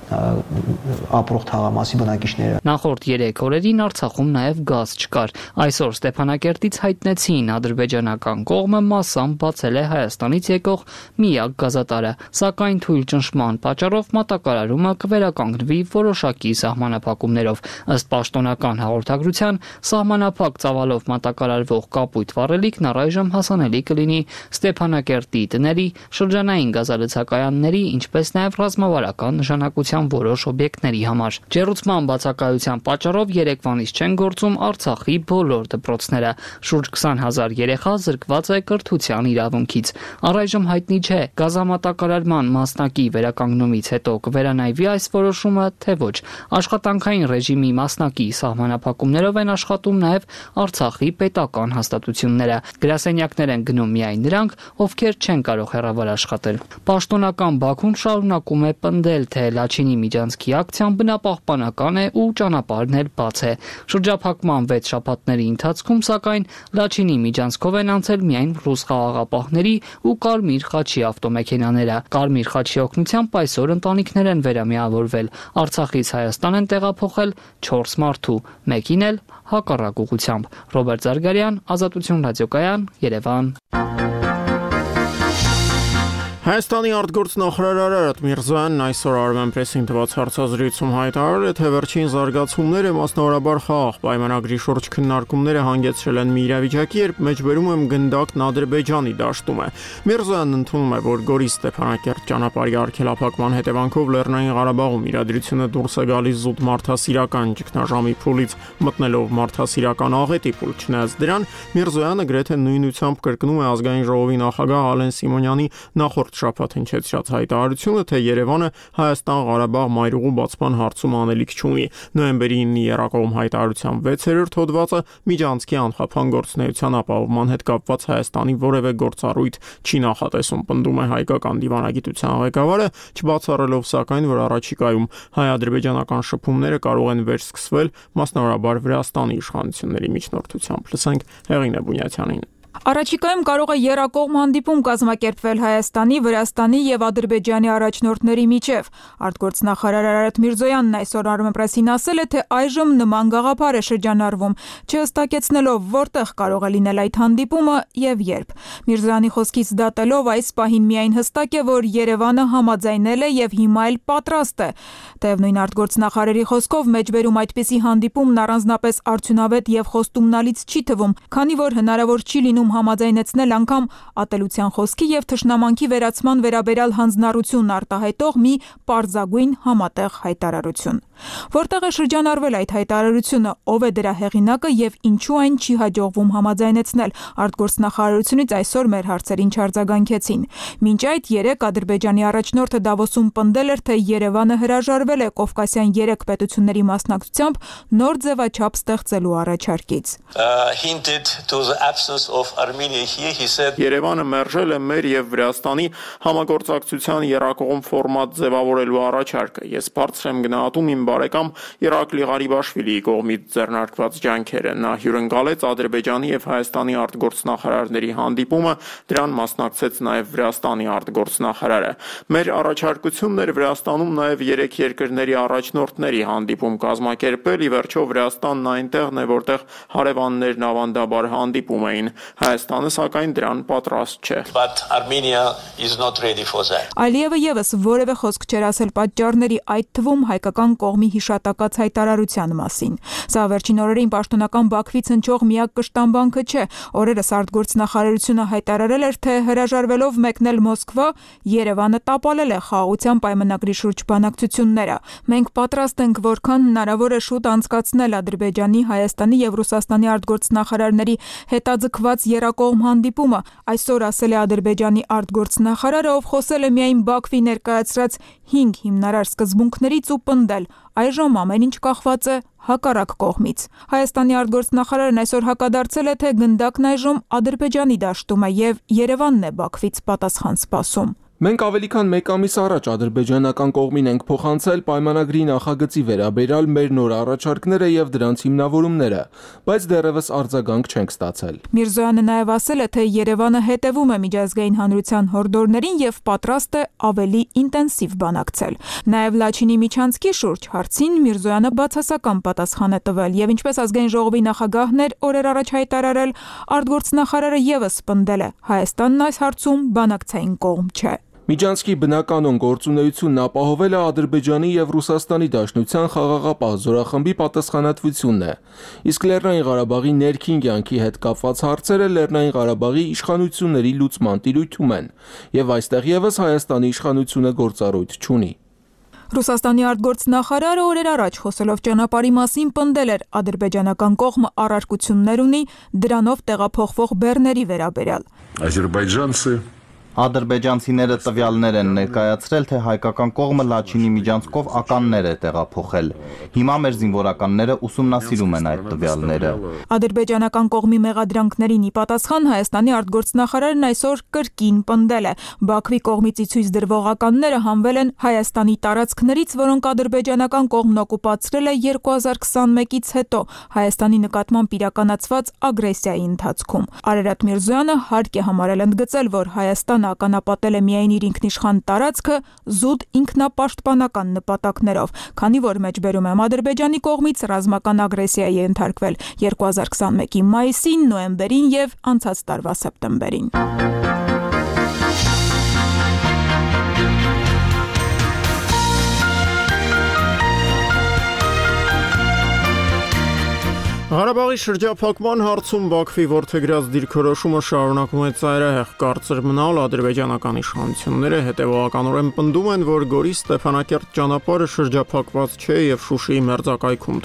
ապրող թաղամասի բնակիչները։ Նախորդ 3 օրերին Արցախում նաև գազ չկար։ Այսօր Ստեփանակերտից հայտնեցին ադրբեջանական կողմը մասամբ բացել է Հայաստանից եկող միակ գազատարը, սակայն թույլ ճնշման պատճառով մատակարարումը կվերականգնվի որոշակի սահմանափակումներով։ Ըստ պաշտոնական հաղորդագրության, սահմանափակ ծավալով մատակարարվող կապույտ վառելիքն առայժմ հասանելի կլինի Ստեփանակերտի տների, շրջանային գազալցակայանների, ինչպես նաև ռազմավարական նշանակության կառավարության որոշ օբյեկտների համար։ Ջեռուցման բացակայության պատճառով Երևանից չեն գործում Արցախի բոլոր դպրոցները։ Շուրջ 20,000 երեխա զրկված է կրթության իրավունքից։ Առայժմ հայտնի չէ գազամատակարարման մասնակի վերականգնումից հետո կվերանայվի այս որոշումը, թե ոչ։ Աշխատանքային ռեժիմի մասնակի սահմանափակումներով են աշխատում նաև Արցախի պետական հաստատությունները։ Գրասենյակներ են գնում միայն նրանք, ովքեր չեն կարող հեռավար աշխատել։ Պաշտոնական Բաքուն շարունակում է պնդել, թե Լաչինի միջանցքի ակցիան բնապահպանական է ու ճանապարհն էլ բաց է։ Շրջափակման 6 շաբաթների ընթացքում, սակայն, Լաչինի միջանցքով են անցել միայն ռուս խաղաղապահների ու Կարմիր խաչի ավտոմեքենաները։ Կարմիր խաչի օգնությամբ այսօր ընտանիքներ են վերամիավորվել։ Արցախից Հայաստան են տեղափոխել 4 մարդու, մեկին էլ հակառակ ուղղությամբ։ Ռոբերտ Զարգարյան, Ազատություն ռադիոկայան, Երևան։ Հայաստանի արտգործնախարար Արարատ Միրզոյանն այսօր Armenpress-ին տված հարցազրույցում հայտարարել է, թե վերջին զարգացումները մասնավորաբար խաղաղ պայմանագրի շուրջ քննարկումները հանգեցրել են մի իրավիճակի, երբ մեջբերում եմ գնդակն Ադրբեջանի դաշտում է։ Միրզոյանն ընդունում է, որ Գորիս-Ստեփանակերտ ճանապարհի արգելափակման հետևանքով Լեռնային Ղարաբաղում իրադրությունը դուրս է գալիս զուտ մարդասիրական ճգնաժամի փուլից, մտնելով մարդասիրական աղետի փուլ։ Չնայած դրան, Միրզոյանը գրեթե նույնությամբ կրկնում է ազգային ժողովի նախագահ Ալեն Սիմոնյանի նախորդ շաբաթ հնչեցրած հայտարարությունը, թե Երևանը Հայաստան-Ղարաբաղ մայրուղու բացման հարցում անելիք չունի։ Նոյեմբերի 9-ի Երակոմ հայտարարության 6-րդ հոդվածը միջանցքի անխափան գործունեության ապահովման հետ կապված Հայաստանի որևէ գործառույթ չի նախատեսում, պնդում է հայկական դիվանագիտության ղեկավարը, չբացառելով սակայն, որ առաջիկայում հայ-ադրբեջանական շփումները կարող են վերսկսվել մասնավորաբար Վրաստանի իշխանությունների միջնորդությամբ։ Լսենք Հեղինե Բունյացյանին։ Առաջիկայում կարող է եռակողմ հանդիպում կազմակերպվել Հայաստանի, Վրաստանի եւ Ադրբեջանի առաջնորդների միջև։ Արտգործնախարար Արարատ Միրզոյանն այսօր Armenpress-ին ասել է, թե այժմ նման գաղափար է շրջանառվում, չհստակեցնելով որտեղ կարող է լինել այդ հանդիպումը եւ երբ։ Միրզոյանի խոսքից դատելով այս պահին միայն հստակ է, որ Երևանը համաձայնել է եւ հիմա էլ պատրաստ է։ Թեև նույն արտգործնախարարի խոսքով մեջբերում այդպիսի հանդիպումն առանձնապես արդյունավետ եւ խոստումնալից չի թվում, քանի որ հնարավոր չի լինում համաձայնեցնել անգամ ատելության խոսքի եւ թշնամանքի վերացման վերաբերյալ հանձնառություն արտահայտող մի պարզագույն համատեղ հայտարարություն։ Որտեղ է շրջանառվել այդ հայտարարությունը, ով է դրա հեղինակը եւ ինչու այն չի հաջողվում համաձայնեցնել, արտգործնախարարությունից այսօր մեր հարցերին չարձագանքեցին։ Մինչ այդ 3 Ադրբեջանի առաջնորդը Դավոսում պնդել էր, թե Երևանը հրաժարվել է Կովկասյան 3 պետությունների մասնակցությամբ նոր ձևաչափ ստեղծելու առաջարկից։ Երևանը մերժել է մեր եւ Վրաստանի համագործակցության եռակողմ ֆորմատ ձևավորելու առաջարկը։ Ես բարձր եմ գնահատում իմ բարեկամ Իրակլի Ղարիբաշվիլիի կողմից ձեռնարկված ջանքերը։ Նա հյուրընկալեց Ադրբեջանի եւ Հայաստանի արտգործնախարարների հանդիպումը, դրան մասնակցեց նաեւ Վրաստանի արտգործնախարարը։ Մեր առաջարկությունն էր Վրաստանում նաեւ 3 երկրների առաջնորդների հանդիպում կազմակերպել, ի վերջո Վրաստանն այնտեղն է, որտեղ հարևաններն ավանդաբար հանդիպում էին։ Հայաստանը սակայն դրան պատրաստ չէ։ Ալիևը եւս որևէ խոսք չէր ասել պատճառների, այդ թվում հայկական կողմի հիշատակած հայտարարության մասին։ Սա վերջին օրերին պաշտոնական Բաքվից հնչող միակ կշտամբանքը չէ։ Օրերս արտգործնախարարությունը հայտարարել էր, թե հրաժարվելով մեկնել Մոսկվա, Երևանը տապալել է խաղաղության պայմանագրի շուրջ բանակցությունները։ Մենք պատրաստ ենք որքան հնարավոր է շուտ անցկացնել Ադրբեջանի, Հայաստանի եւ Ռուսաստանի արտգործնախարարների հետաձգված եռակողմ հանդիպումը, այսօր ասել է Ադրբեջանի արտգործնախարարը, ով խոսել է միայն Բաքվի ներկայացրած 5 հիմնարար սկզբունքներից ու պնդել, այժմ ամեն ինչ կախված է հակառակ կողմից։ Հայաստանի արտգործնախարարն այսօր հակադարձել է, թե գնդակն այժմ Ադրբեջանի դաշտում է եւ Երևանն է Բաքվից պատասխան սպասում։ Մենք ավելի քան 1 ամիս առաջ ադրբեջանական կողմին ենք փոխանցել պայմանագրի նախագծի վերաբերյալ մեր նոր առաջարկները եւ դրանց հիմնավորումները, բայց դեռևս արձագանք չենք ստացել։ Միրզոյանը նաեւ ասել է, թե Երևանը հետևում է միջազգային հանրության հորդորներին եւ պատրաստ է ավելի ինտենսիվ բանակցել։ Նաեւ Լաչինի միջանցքի շուրջ հարցին Միրզոյանը բացասական պատասխան է տվել եւ ինչպես ազգային ժողովի նախագահն էր օրեր առաջ հայտարարել, արտգործնախարարը եւս պնդել է, Հայաստանն այս հարցում բանակցային կողմ չէ։ Միջանցքի բնականon գործունեությունն ապահովելը Ադրբեջանի եւ Ռուսաստանի Դաշնության խաղաղապահ զորախմբի պատասխանատվությունն է, իսկ Լեռնային Ղարաբաղի ներքին կյանքի հետ կապված հարցերը Լեռնային Ղարաբաղի իշխանությունների լուծման տիրույթում են, եւ այստեղ եւս Հայաստանի իշխանությունը գործառույթ չունի։ Ռուսաստանի արտգործնախարարը օրեր առաջ խոսելով ճանապարհի մասին պնդել էր ադրբեջանական կողմը առարկություններ ունի դրանով տեղափոխվող բեռների վերաբերյալ։ Ադրբեջանցիները տվյալներ են ներկայացրել, թե հայկական կողմը Լաչինի միջանցքով ականներ է տեղափոխել։ Հիմա մեր զինվորականները ուսումնասիրում են այդ տվյալները։ Ադրբեջանական կողմի մեղադրանքներին ի պատասխան Հայաստանի արտգործնախարարն այսօր կրկին պնդել է. Բաքվի կողմից ցույց դրվող ականները հանվել են Հայաստանի տարածքներից, որոնք ադրբեջանական կողմն օկուպացրել է 2021-ից հետո Հայաստանի նկատմամբ իրականացված ագրեսիայի ընթացքում։ Արարատ Միրզոյանը հարկ է համարել ընդգծել, որ Հայաստանը ականապատել է միայն իր ինքնիշխան տարածքը զուտ ինքնապաշտպանական նպատակներով, քանի որ մեջբերում է Ադրբեջանի կողմից ռազմական ագրեսիայի ենթարկվել 2021-ի մայիսին, նոյեմբերին եւ անցած տարվա սեպտեմբերին։ Ղարաբաղի շրջափակման հարցում Բաքվի որդեգրած դիրքորոշումը շարունակում է ծայրահեղ կարծր մնալ, ադրբեջանական իշխանությունները հետևողականորեն պնդում են, որ Գորի Ստեփանակերտ ճանապարհը շրջափակված չէ եւ Շուշիի մերձակայքում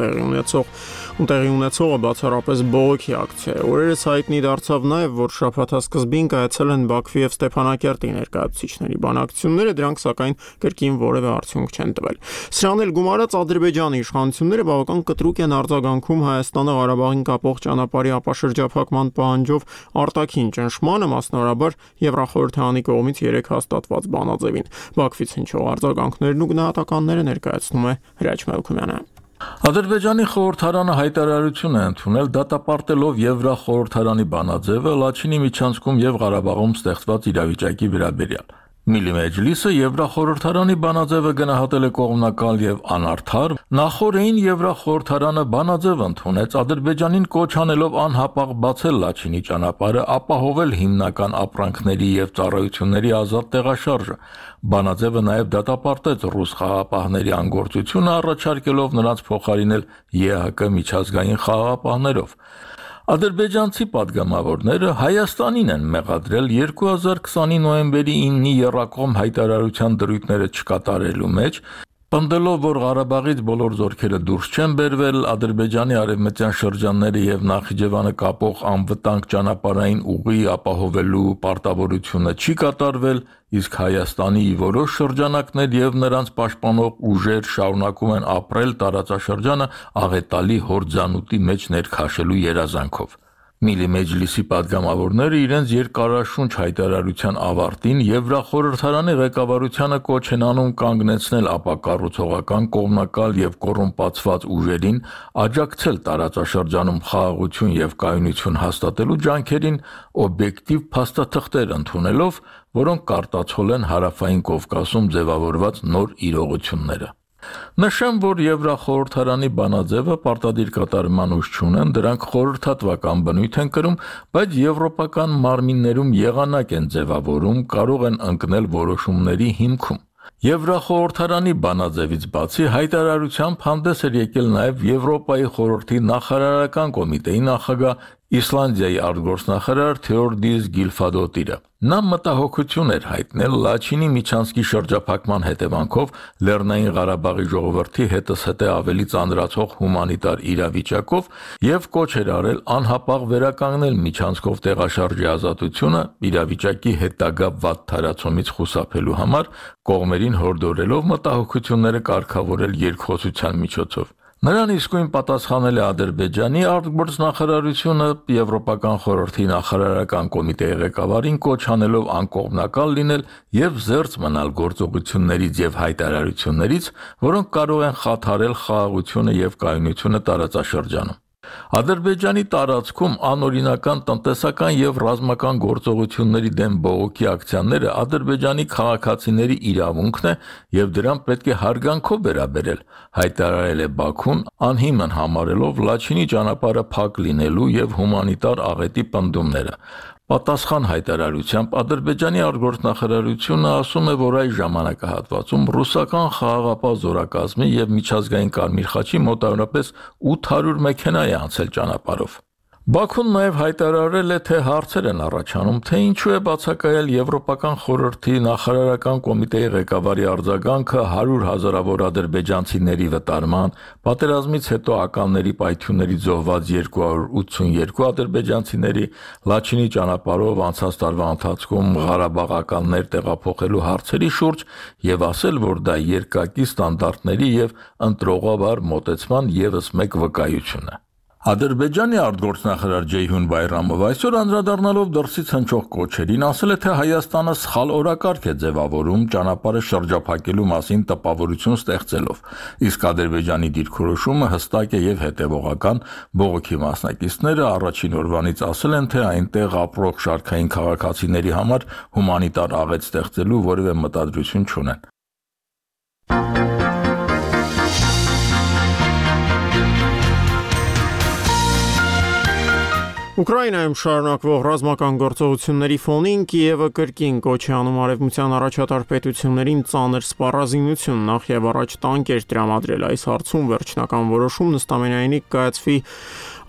տեղի ունեցողը բացառապես բողոքի ակցիա է։ Օրերս հայտնի դարձավ նաեւ, որ շաբաթասկզբին կայացել են Բաքվի եւ Ստեփանակերտի ներկայացուցիչների բանակցությունները, դրանք սակայն կրկին որևէ արդյունք չեն տվել։ Սրանն էլ գումարած Ադրբեջանի իշխանությունները բավական կտրուկ են արձագանքում Հայաստանը Ղարաբաղին կապող ճանապարհի ապաշրջափակման պահանջով արտաքին ճնշմանը, մասնավորաբար Եվրախորհրդարանի կողմից 3 հաստատված բանաձևին։ Բաքվից հնչող արձագանքներն ու գնահատականները ներկայացնում է Հրաչ Մելքումյանը։ Ադրբեջանի խորհրդարանը հայտարարություն է ընդունել դատապարտելով Եվրախորհրդարանի բանաձևը Լաչինի միջանցքում եւ Ղարաբաղում ստեղծված իրավիճակի վերաբերյալ։ Միլիմեջլիսը Եվրախորհրդարանի բանաձևը գնահատել է կողմնակալ եւ անարդար, նախորդին Եվրախորհրդարանը բանաձև ընդունեց Ադրբեջանին կոչ անելով անհապաղ բացել Լաչինի ճանապարհը, ապահովել հիմնական ապրանքների եւ ծառայությունների ազատ տեղաշարժը։ Բանաձևը նաեւ դատապարտեց ռուս խաղաղապահների անգործությունը, առաջարկելով նրանց փոխարինել ԵՀԿ միջազգային խաղաղապահներով։ Ադրբեջանցի падգամավորները Հայաստանին են մեղադրել 2020-ի նոյեմբերի 9-ի եռակողմ հայտարարության դրույթները չկատարելու մեջ, պնդելով, որ Ղարաբաղից բոլոր զորքերը դուրս չեն բերվել, Ադրբեջանի արևմտյան շրջանները եւ Նախիջևանը կապող անվտանգ ճանապարհային ուղի ապահովելու պարտավորությունը չի կատարվել, իսկ Հայաստանի որոշ շրջանակներ եւ նրանց պաշտպանող ուժեր շարունակում են ապրել տարածաշրջանը աղետալի հորձանուտի մեջ ներքաշելու երազանքով։ Միլիմեջլիսի падգամավորները իրենց երկարաշունչ հայտարարության ավարտին Եվրախորհրդարանի ղեկավարությանը կոչ են անում կանգնեցնել ապակառուցողական կողմնակալ եւ կոռումպացված ուժերին, աջակցել տարածաշրջանում խաղաղություն եւ կայունություն հաստատելու ջանքերին, օբյեկտիվ փաստաթղթեր ընդունելով, որոնք կարտացոլեն Հարավային Կովկասում ձևավորված նոր իրողությունները։ Նշեմ, որ Եվրախորհրդարանի բանաձևը պարտադիր կատարման ուժ չունեն, դրանք խորհրդատվական բնույթ են կրում, բայց եվրոպական մարմիններում եղանակ են ձևավորում, կարող են ընկնել որոշումների հիմքում։ Եվրախորհրդարանի բանաձևից բացի հայտարարությամբ հանդես էր եկել նաև Եվրոպայի խորհրդի նախարարական կոմիտեի նախագահ Իսլանդիայի արտգործնախարար Թեորդիս Գիլֆադոտիրը։ Նա մտահոգություն էր հայտնել Լաչինի միջանցքի շրջափակման հետևանքով Լեռնային Ղարաբաղի ժողովրդի հետզհետե ավելի ծանրացող հումանիտար իրավիճակով եւ կոչ էր արել անհապաղ վերականգնել միջանցքով տեղաշարժի ազատությունը իրավիճակի հետագա վատ թարացումից խուսափելու համար, կողմերին հորդորելով մտահոգությունները կարգավորել երկխոսության միջոցով։ Նրան իսկույն պատասխանել է Ադրբեջանի արտգործնախարարությունը Եվրոպական խորհրդի նախարարական կոմիտեի ղեկավարին կոչ անելով անկողմնակալ լինել եւ զերծ մնալ գործողություններից եւ հայտարարություններից, որոնք կարող են խաթարել խաղաղությունը եւ կայունությունը տարածաշրջանում։ Ադրբեջանի տարածքում անօրինական տնտեսական եւ ռազմական գործողությունների դեմ բողոքի ակցիաները Ադրբեջանի քաղաքացիների իրավունքն է եւ դրան պետք է հարգանքով վերաբերել, հայտարարել է Բաքուն, անհիմն համարելով Լաչինի ճանապարհը փակ լինելու եւ հումանիտար աղետի պնդումները։ Պատասխան հայտարարությամբ Ադրբեջանի արտգործնախարարությունը ասում է, որ այս ժամանակահատվածում ռուսական խաղաղապահ զորակազմի եւ միջազգային Կարմիր խաչի մոտավորապես 800 մեքենա է անցել ճանապարհով։ Բաքուն նաև հայտարարել է, թե հարցեր են առաջանում, թե ինչու է բացակայել Եվրոպական խորհրդի նախարարական կոմիտեի ղեկավարի արձագանքը 100 հազարավոր ադրբեջանցիների վտարման, պատերազմից հետո ականների պայթյուններից զոհված 282 ադրբեջանցիների Լաչինի ճանապարհով անցած տարվա ընթացքում ղարաբաղականներ տեղափոխելու հարցերի շուրջ եւ ասել, որ դա երկակի ստանդարտների եւ ընտրողաբար մոտեցման եւս մեկ վկայություն է։ Ադրբեջանի արտգործնախարար Ջեյհուն Բայրամով այսօր անդրադառնալով դրսից հնչող կոչերին ասել է, թե Հայաստանը սխալ օրակարգ է ձևավորում ճանապարհը շրջափակելու մասին տպավորություն ստեղծելով, իսկ Ադրբեջանի դիրքորոշումը հստակ է եւ հետեւողական, բողոքի մասնակիցները առաջին օրվանից ասել են, թե այնտեղ ապրող շարքային քաղաքացիների համար հումանիտար աղետ ստեղծելու որևէ մտադրություն չունեն։ Ուկրաինայում շարունակվող ռազմական գործողությունների ֆոնին Կիևը կրկին կոչ է անում արևմտյան առաջատար պետություններին ծանր սպառազինություն, նախ եւ առաջ տանկեր տրամադրել այս հարցում վերջնական որոշում նստամենայինի կայացվի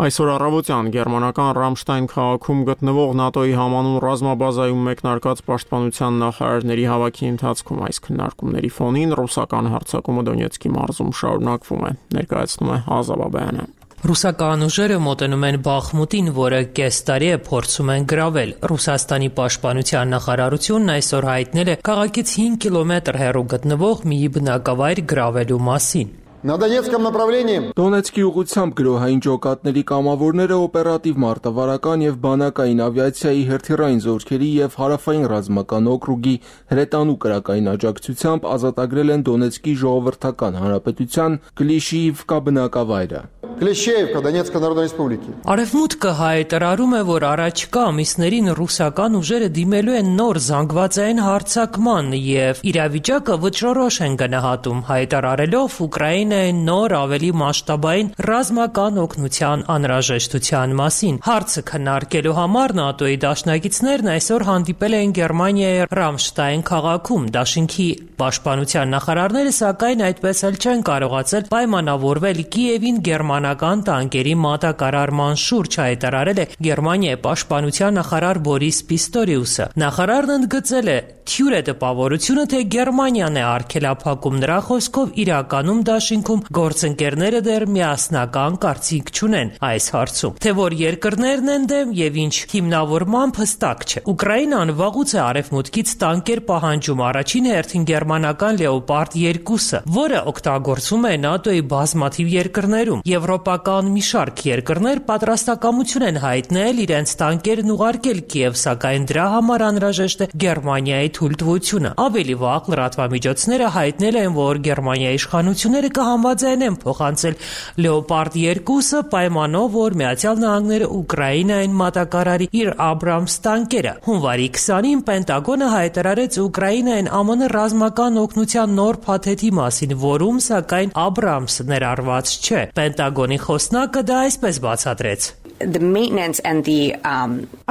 այսօր առավոտյան գերմանական Ռամշտայն քաղաքում գտնվող ՆԱՏՕ-ի համանուն ռազմաբազայում մեկնարկած պաշտպանության նախարարների հավաքի ընթացքում այս քննարկումների ֆոնին ռուսական հարձակումը Դոնեցկի մարզում շարունակվում է, ներկայացնում է Ազա Բաբայանը։ Ռուսական ուժերը մոտենում են Բախմուտին, որը կես տարի է փորձում են գրավել։ Ռուսաստանի պաշտպանության նախարարությունն այսօր հայտնել է քաղաքից 5 կիլոմետր հեռու գտնվող մի բնակավայր գրավելու մասին։ На Донецком направлении Դոնեցկի ուղղությամբ գրոհային ջոկատների կամավորները օպերատիվ մարտավարական եւ բանակային ավիացիայի հերթիրային զորքերի եւ հարավային ռազմական օկրուգի հրետանու կրակային աջակցությամբ ազատագրել են Դոնեցկի ժողովրդական հանրապետության Կլիշիիվկա բնակավայրը։ Клещеевка Донецкой Народной Республики։ Արևմուտքը հայտարարում է, որ առաջկա ամիսներին ռուսական ուժերը դիմելու են նոր զանգվածային հարձակման եւ իրավիճակը վճռորոշ են գնահատում, հայտարարելով Ուկրաինային նոր ավելի մասշտաբային ռազմական օգնության անհրաժեշտության մասին։ Հարցը քննարկելու համար ՆԱՏՕ-ի դաշնակիցներն այսօր հանդիպել են Գերմանիայի Ռամշտայն քաղաքում։ Դաշինքի պաշտպանության նախարարները սակայն այդպես էլ չեն կարողացել պայմանավորվել Կիևին գերմանական տանկերի մատակարարման շուրջ, հայտարարել է Գերմանիայի պաշտպանության նախարար Բորիս Պիստորիուսը։ Նախարարն ընդգծել է թյուր է տպավորությունը, թե Գերմանիան է արգելափակում, նրա խոսքով իրականում դաշինքում գործընկերները դեռ միասնական կարծիք չունեն այս հարցում, թե որ երկրներն են դեմ եւ ինչ հիմնավորմամբ հստակ չէ։ Ուկրաինան վաղուց է արևմուտքից տանկեր պահանջում, առաջին հերթին գերմանական Լեոպարդ 2-ը, որը օգտագործում է ՆԱՏՕ-ի բազմաթիվ երկրներում։ Եվրոպական մի շարք երկրներ պատրաստակամություն են հայտնել իրենց տանկերն ուղարկել Կիև, սակայն դրա համար անհրաժեշտ է Գերմանիայի թույլտվությունը։ Ավելի վաղ լրատվամիջոցները հայտնել են, որ Գերմանիայի իշխանությունները կհամաձայնեն փոխանցել Լեոպարդ 2-ը պայմանով, որ Միացյալ Նահանգները Ուկրաինային մատակարարի իր Աբրամս տանկերը։ Հունվարի 20-ին Պենտագոնը հայտարարեց Ուկրաինային ԱՄՆ ռազմական օգնության նոր փաթեթի մասին, որում սակայն Աբրամսը ներառված չէ։ Պենտագոնի խոսնակը դա այսպես բացատրեց.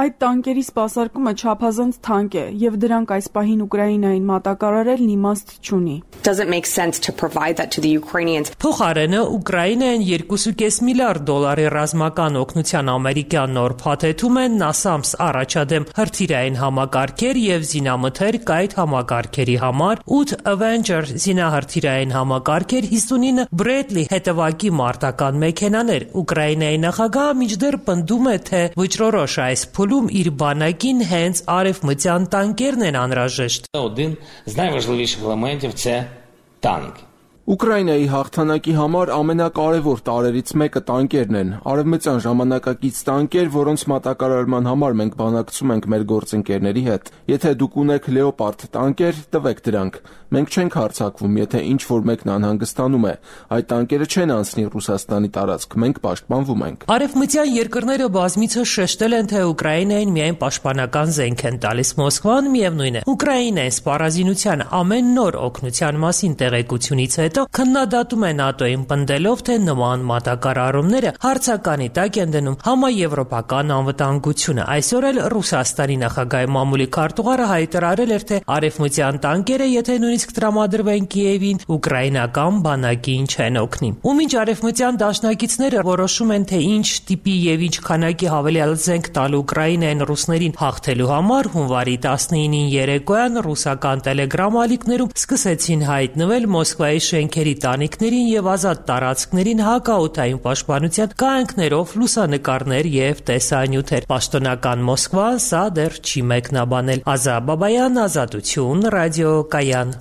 Այդ տանկերի սպասարկումը չափազանց թանկ է եւ դրանք այս պահին Ուկրաինային մատակարարելն իմաստ չունի։ Փոխարենը Ուկրաինային $2.5 միլիարդ ռազմական օգնության ամերիկյան նոր փաթեթում են NASAMS առաջադեմ հրթիռային համակարգեր եւ զինամթեր կայտ համակարգերի համար, 8 Avenger զինահրթիռային համակարգեր, 59 Bradley հետևակի մարտական մեքենաներ։ Ուկրաինայի նախագահը մինչդեռ պնդում է, թե վճռորոշ այս փուլում իր բանակին հենց արևմտյան տանկերն են անհրաժեշտ։ Один з найважливіших елементів це танк. Ուկրաինայի հաղթանակի համար ամենակարևոր տարրերից մեկը տանկերն են։ Արևմտյան ժամանակակից տանկեր, որոնց մատակարարման համար մենք բանակցում ենք մեր գործընկերների հետ։ Եթե դուք ունեք Լեոպարդ տանկեր, տվեք դրանք։ Մենք չենք հարձակվում, եթե ինչ-որ մեկն անհանգստանում է։ Այդ տանկերը չեն անցնի Ռուսաստանի տարածք, մենք պաշտպանվում ենք։ Արևմտյան երկրները բազմիցս շեշտել են, թե Ուկրաինային միայն պաշտպանական զենք են տալիս։ Մոսկվան միևնույն է։ Ուկրաինային սպառազինության ամեն նոր օգնության մասին տեղեկությունից հետո հետո քննադատում է ՆԱՏՕ-ին, պնդելով, թե նման մատակարարումները հարցականի տակ են դնում համաեվրոպական անվտանգությունը։ Այսօր էլ Ռուսաստանի նախագահի մամուլի քարտուղարը հայտարարել էր, թե արևմտյան տանկերը, եթե նույնիսկ տրամադրվեն Կիևին, ուկրաինական բանակին չեն օգնի։ Ու մինչ արևմտյան դաշնակիցները որոշում են, թե ինչ տիպի եւ ինչ քանակի հավելյալ զենք տալ Ուկրաինային ռուսներին հաղթելու համար, հունվարի 19-ին երեկոյան ռուսական տելեգրամ ալիքներում սկսեցին հայտնվել Մոսկվայի շենքերի տանիքներին եւ ազատ տարածքներին հակաօդային պաշտպանության կանոններով լուսանկարներ եւ տեսանյութեր։ Պաշտոնական Մոսկվան սա դեռ չի մեկնաբանել։ Ազա Բաբայան, Ազատություն, ռադիոկայան։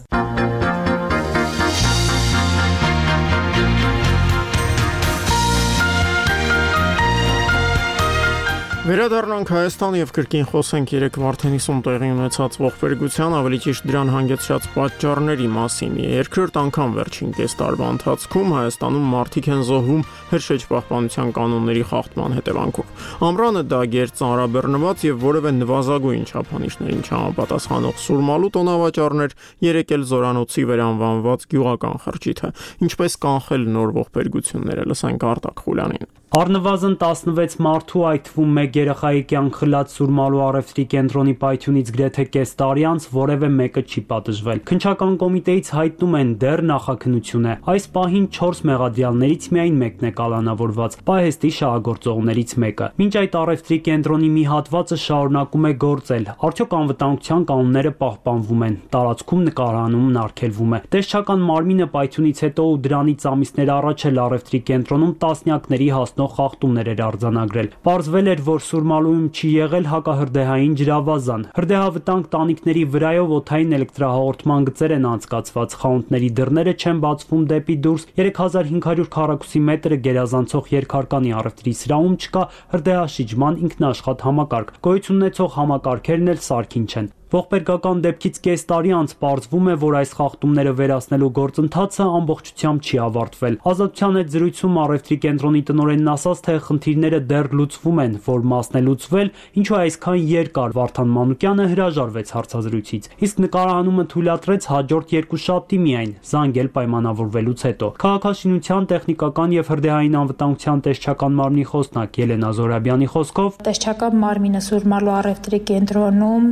Վերադառնանք Հայաստան եւ կրկին խոսենք 3 Վարդենիսում տեղի ունեցած ողբերգության, ավելի ճիշտ դրան հանգեցրած պատճառների մասին։ Երկրորդ անգամ վերջին կես տարվա ընթացքում Հայաստանում մարդիկ են զոհվում հրշեջ պահպանության կանոնների խախտման հետևանքով։ Ամռանը դա գերծանրաբեռնված եւ որևէ նվազագույն չափանիշներին չհամապատասխանող սուրմալու տոնավաճառներ, երեք էլ զորանոցի վերանվանված գյուղական խրճիթը։ Ինչպես կանխել նոր ողբերգությունները, լսենք Արտակ Խուլյանին։ Առնվազն 16 մարդու, այդ թվում 1 երեխայի կյանք խլած Սուրմալու առևտրի կենտրոնի պայթյունից գրեթե կես տարի անց որևէ մեկը չի պատժվել։ Քննչական կոմիտեից հայտնում են դեռ նախաքննություն է։ Այս պահին 4 մեղադրյալներից միայն մեկն է կալանավորված, պահեստի շահագործողներից մեկը։ Մինչ այդ առևտրի կենտրոնի մի հատվածը շարունակում է գործել։ Արդյոք անվտանգության կանոնները պահպանվում են, տարածքում նկարահանումն արգելվում է։ Տեսչական մարմինը պայթյունից հետո ու դրանից ամիսներ առաջ էլ առևտրի կենտրոնում տասնյակների խախտումներ էր արձանագրել։ Պարզվել էր, որ Սուրմալուում չի եղել հակահրդեհային ջրավազան։ Հրդեհավտանգ տանիքների վրայով օդային էլեկտրահաղորդման գծեր են անցկացված, խանութների դռները չեն բացվում դեպի դուրս, 3500 քառակուսի մետրը գերազանցող երկհարկանի առևտրի սրահում չկա հրդեհաշիջման ինքնաշխատ համակարգ։ Գոյություն ունեցող համակարգերն էլ սարքին չեն։ Ողբերգական դեպքից կես տարի անց պարզվում է, որ այս խախտումները վերացնելու գործընթացը ամբողջությամբ չի ավարտվել։ Ազատության հետ զրույցում առևտրի կենտրոնի տնօրենն ասաց, թե խնդիրները դեռ լուծվում են, որ մասն է լուծվել, ինչու այսքան երկար Վարդան Մանուկյանը հրաժարվեց հարցազրույցից։ Իսկ նկարահանումը թույլատրեց հաջորդ երկուշաբթի միայն, զանգել պայմանավորվելուց հետո։ Քաղաքաշինության, տեխնիկական եւ հրդեհային անվտանգության տեսչական մարմնի խոսնակ Ելենա Զորաբյանի խոսքով տեսչական մարմինը Սուրմալու առևտրի կենտրոնում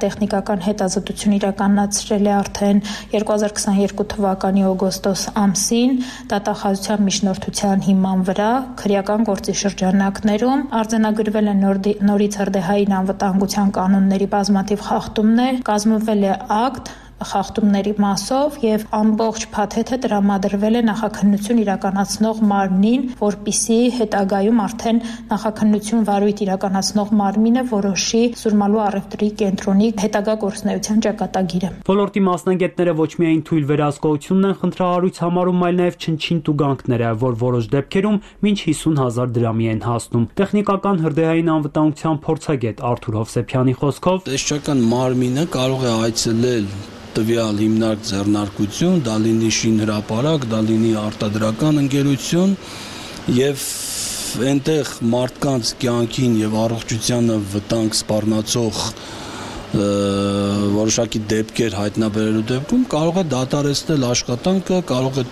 տեխնիկական հետազոտություն իրականացրել է արդեն 2022 թվականի օգոստոս ամսին դատախազության միջնորդության հիման վրա քրեական գործի շրջանակներում արձանագրվել են նորից հրդեհային անվտանգության կանոնների բազմաթիվ խախտումներ, կազմվել է ակտ խախտումների մասով եւ ամբողջ փաթեթը տրամադրվել է նախաքննություն իրականացնող մարմնին, որպիսի հետագայում արդեն նախաքննություն վարույթ իրականացնող մարմինը որոշի Սուրմալու առևտրի կենտրոնի հետագա գործունեության ճակատագիրը։ Ոլորտի մասնագետները ոչ միայն թույլ վերահսկողությունն են խնդրահարույց համարում, այլ նաեւ չնչին տուգանքները, որ որոշ դեպքերում մինչ 50,000 դրամի են հասնում։ Տեխնիկական հրդեհային անվտանգության փորձագետ Արթուր Հովսեփյանի խոսքով տեսչական մարմինը կարող է այցելել տվյալ հիմնարկ ձեռնարկություն, դա լինի շինհրապարակ, դա լինի արտադրական ընկերություն եւ այնտեղ մարդկանց կյանքին եւ առողջությանը վտանգ սպառնացող որոշակի դեպքեր հայտնաբերելու դեպքում կարող է դադարեցնել աշխատանքը, կարող է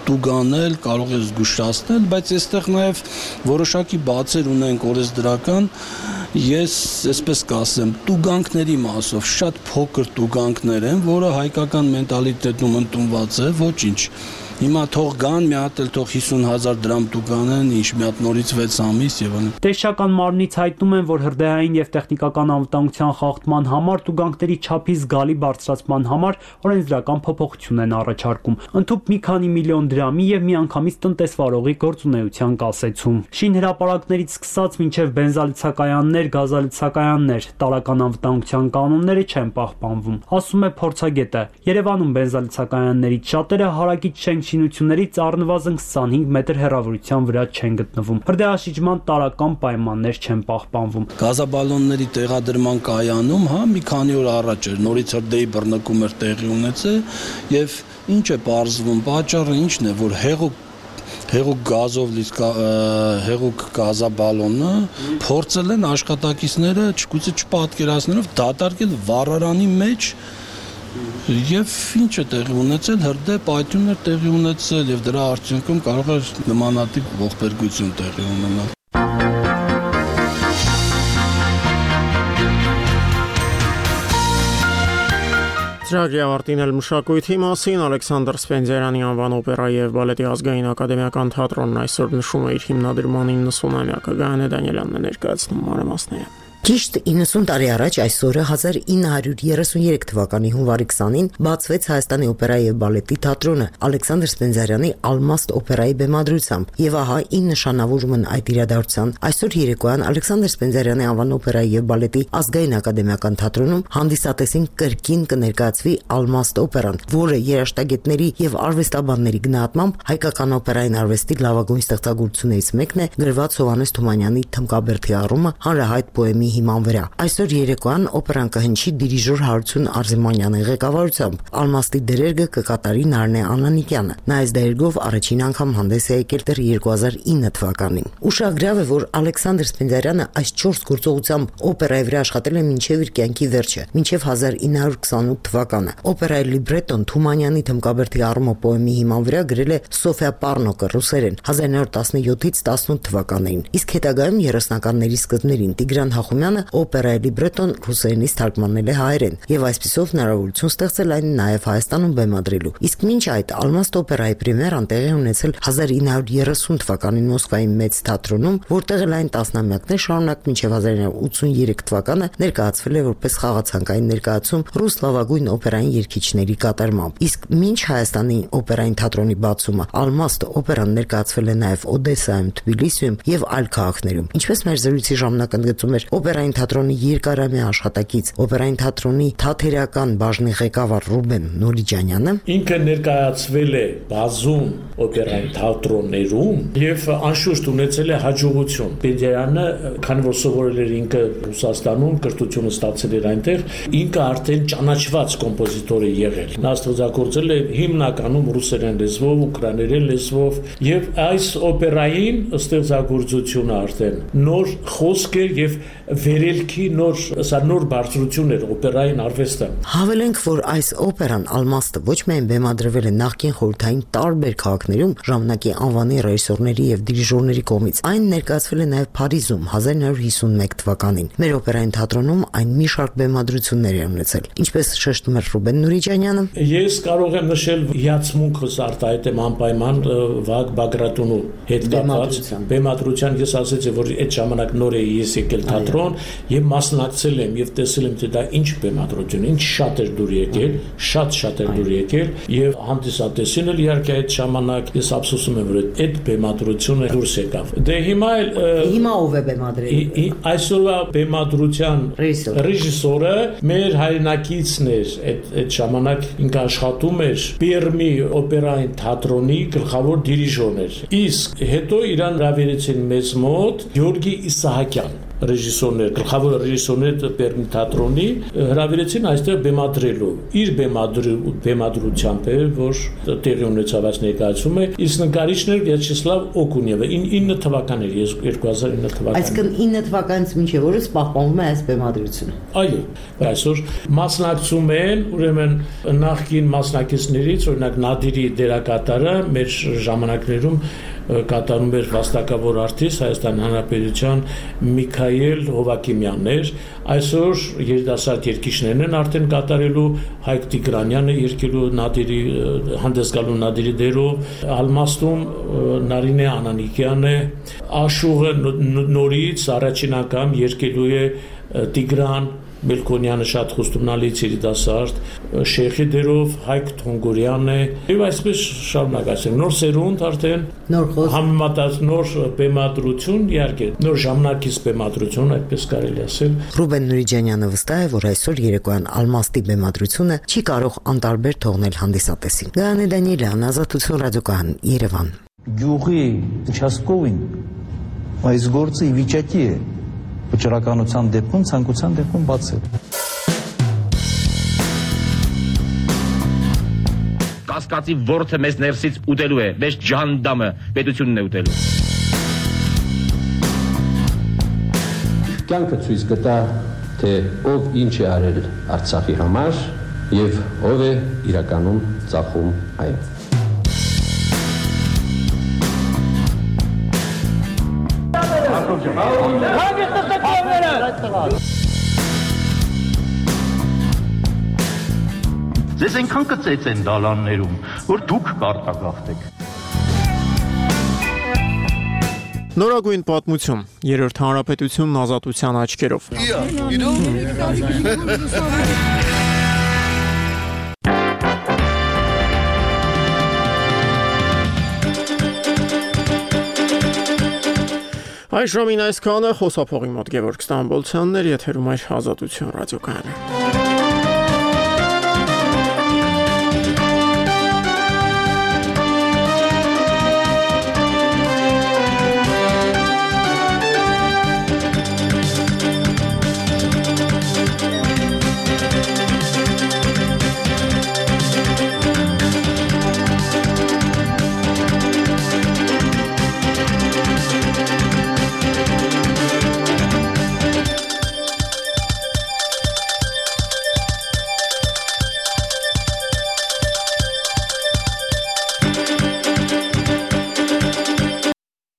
տուգանել, կարող է զգուշացնել, բայց այստեղ նաև որոշակի բացեր ունենք օրենսդրական, ես այսպես կասեմ, տուգանքների մասով շատ փոքր տուգանքներ են, որը հայկական մենտալիտետում ընդունված է, ոչինչ։ Հիմա թող գան, մի հատ էլ թող 50,000 դրամ տուգանեն, ինչ մի հատ նորից 6 ամիս եւ այլն։ Տեսչական մարմնից հայտնում են, որ հրդեհային եւ տեխնիկական անվտանգության խախտման համար տուգանքների չափի զգալի բարձրացման համար օրենսդրական փոփոխություն են առաջարկում։ Ընդհանուր մի քանի միլիոն դրամի եւ միանգամից տնտեսվարողի գործունեության կասեցում։ Շինհրապարակներից սկսած մինչեւ բենզալիցակայաններ, գազալիցակայաններ, տարական անվտանգության կանոնները չեն պահպանվում։ Ասում է փորձագետը, Երևանում բենզալիցակայաններից շատերը հարակից շինություններից առնվազն 25 մետր հեռավորության վրա չեն գտնվում։ Հրդեհաշիջման տարրական պայմաններ չեն պահպանվում։ Գազաբալոնների տեղադրման կայանում, մի քանի օր առաջ էր նորից հրդեհի բռնկում էր տեղի ունեցել եւ ինչ է պարզվում, պատճառը ինչն է, որ հեղուկ գազով հեղուկ գազաբալոնը փորձել են աշխատակիցները չգուցե չպատկերացնելով դատարկել վառարանի մեջ Եվ ինչ է տեղի ունեցել, հրդեհ պայթյուն էր տեղի ունեցել եւ դրա արդյունքում կարող էր նմանատիպ ողբերգություն տեղի ունենալ։ Ծրագրի ավարտին էլ մշակույթի մասին Ալեքսանդր Սպենդիարյանի անվան օպերայի եւ բալետի ազգային ակադեմիական թատրոնն այսօր նշում է իր հիմնադրման 90-ամյակը։ Գայանե Դանիելյանն է ներկայացնում մանրամասները։ Ճիշտ 90 տարի առաջ այսօրը 1933 թվականի հունվարի 20-ին բացվեց Հայաստանի օպերայի եւ բալետի թատրոնը Ալեքսանդր Սպենդիարյանի Ալմաստ օպերայի բեմադրությամբ եւ ահա ի նշանավորումն այդ իրադարձության այսօր երեկոյան Ալեքսանդր Սպենդիարյանի անվան օպերայի եւ բալետի ազգային ակադեմիական թատրոնում հանդիսատեսին կրկին կներկայացվի Ալմաստ օպերան, որը երաժշտագետների եւ արվեստաբանների գնահատմամբ հայկական օպերային արվեստի լավագույն ստեղծագործություններից մեկն է, գրված Հովհաննես Թումանյանի Թմկաբերդի առումը հանրահայտ պոեմի հիման վրա։ Այսօր երեկոյան օպերան կհնչի դիրիժոր Հարություն Արզեմանյանի ղեկավարությամբ։ Ալմաստի դերերգը կկատարի Նարնե Անանիկյանը։ Նա այս դերերգով առաջին անգամ հանդես է եկել դեռ 2009 թվականին։ Ուշագրավ է, որ Ալեքսանդր Սպենդիարյանը այս 4 գործողությամբ օպերայի վրա աշխատել է մինչև իր կյանքի վերջը, մինչև 1928 թվականը։ Օպերայի լիբրետոն Թումանյանի Թմկաբերդի առումը պոեմի հիման վրա գրել է Սոֆիա Պառնոկը ռուսերեն 1917-ից 18 թվականներին։ Իսկ հետագայում 30-ականների սկզբներին Տիգրան Հախոմյանը օպերայի լիբրետոն ռուսերենից թարգմանել է հայերեն եւ այսպիսով հնարավորություն ստեղծել այն նաեւ Հայաստանում բեմադրելու։ Իսկ մինչ այդ Ալմաստ օպերայի պրեմիերան տեղի ունեցել 1930 թվականին Մոսկվայի մեծ թատրոնում, որտեղ էլ այն տասնամյակներ շարունակ մինչև 1983 թվականը ներկայացվել է որպես խաղացանկային ներկայացում ռուս լավագույն օպերային երգիչների կատարմամբ։ Իսկ մինչ Հայաստանի օպերային թատրոնի բացումը Ալմաստ օպերան ներկայացվել է նաեւ Օդեսայում, Թբիլիսիում եւ այլ քաղաքներում։ Ինչպես մեր զրույցի ժամանակ ընդգծում էր օպերային թատրոնի երկարամյա աշխատակից օպերային թատրոնի թատերական բաժնի ղեկավար Ռուբեն Նորիջանյանը, ինքը ներկայացվել է բազում օպերային թատրոններում եւ անշուշտ ունեցել է հաջողություն։ Սպենդիարյանը, քանի որ սովորել էր ինքը Ռուսաստանում, կրթությունը ստացել էր այնտեղ, ինքը արդեն ճանաչված կոմպոզիտոր է եղել։ Նա ստեղծագործել է հիմնականում ռուսերեն լեզվով, ուկրաիներեն լեզվով եւ այս օպերային ստեղծագործությունը արդեն նոր խոսք էր եւ վերելքի նոր բարձրություն էր օպերային արվեստը։ Հավելենք, որ այս օպերան Ալմաստը ոչ միայն բեմադրվել է նախկին խորհրդային տարբեր քաղաքներում ժամանակի անվանի ռեժիսորների եւ դիրիժորների կողմից, այն ներկայացվել է նաեւ Փարիզում 1951 թվականին։ Մեր օպերային թատրոնում այն մի շարք բեմադրություններ է ունեցել, ինչպես շեշտում էր Ռուբեն Նուրիջանյանը։ Ես կարող եմ նշել հիացմունքս արտահայտեմ անպայման Վագ Բագրատունու հետ կապված բեմադրության։ Ես ասեցի, որ այդ ժամանակ նոր էի ես եկել թատրոն եւ մասնակցել եմ եւ տեսել եմ թե դա ինչ բեմադրություն, ինչ շատ էր դուր եկել, շատ էր դուր եկել եւ հանդիսատեսին էլ իհարկե այդ ժամանակ ես ափսոսում եմ, որ այդ բեմադրությունը դուրս եկավ։ Դե հիմա ով է բեմադրել։ Այսօրվա բեմադրության ռեժիսորը մեր հայրենակիցն էր, այդ ժամանակ ինքը աշխատում էր Պերմի օպերային թատրոնի գլխավոր դիրիժորն էր։ Իսկ հետո իրան հրավիրեցին մեզ մոտ Գյորգի Իսահակյան ռեժիսորներ, գլխավոր ռեժիսորներ Պերմի թատրոնի հրավիրեցին այստեղ բեմադրելու։ Իր բեմադրությամբ է, որ տեղի ունեցավ այս ներկայացումը, իսկ նկարիչն էր Վյաչեսլավ Օկունևը 9 թվականն էր, 2009 թվականին։ Այսինքն 9 թվականից մինչև օրս պահպանվում է այս բեմադրությունը։ Այո, այսօր մասնակցում են, ուրեմն նախկին մասնակիցներից, օրինակ Նադիրի դերակատարը մեր ժամանակներում կատարում էր վաստակավոր արտիստ Հայաստան Հանրապետության Միքայել Հովակիմյանն էր։ Այսօր երիտասարդ երգիչներն են արդեն կատարելու, Հայկ Տիգրանյանը երգելու Նադիրի հանդես գալու Նադիրի դերով, Ալմաստում Նարինե Անանիկյանը, Աշուղը նորից առաջին անգամ երգելու է Տիգրան Մելքոնյանը շատ խոստումնալից երիտասարդ, Շեխի դերով Հայկ Թոնգորյանն է եւ այսպես շարունակացնենք նոր սերունդ արդեն համեմատած նոր բեմադրություն, իհարկե նոր ժամանակից բեմադրություն, այդպես կարելի ասել։ Ռուբեն Նուրիջանյանը վստահ է, որ այսօր երեկոյան Ալմաստի բեմադրությունը չի կարող անտարբեր թողնել հանդիսատեսին։ Գայանե Դանիելյան, Ազատություն ռադիոկայան, Երևան։ Գյուղի участковին այս գործը ի վիճակի է վճռականության դեպքում, ցանկության դեպքում բացել։ Կասկածի ворթը մեզ ներսից ուտելու է, մեզ ջանդամը պետությունն է ուտելու։ Կյանքը ցույց կտա, թե ով ինչ է արել Արցախի համար եւ ով է իրականում ծախում այն։ Ձեզ այնքան կծեց են դալաններում, որ դուք կարտագաղթեք։ Նորագույն պատմություն, երրորդ հանրապետությունն ազատության աչքերով։ Այժմին այսքանը, խոսափողի մոտ Գևորգ Ստամբոլցյանն էր, եթերում էր Ազատություն ռադիոկայանը։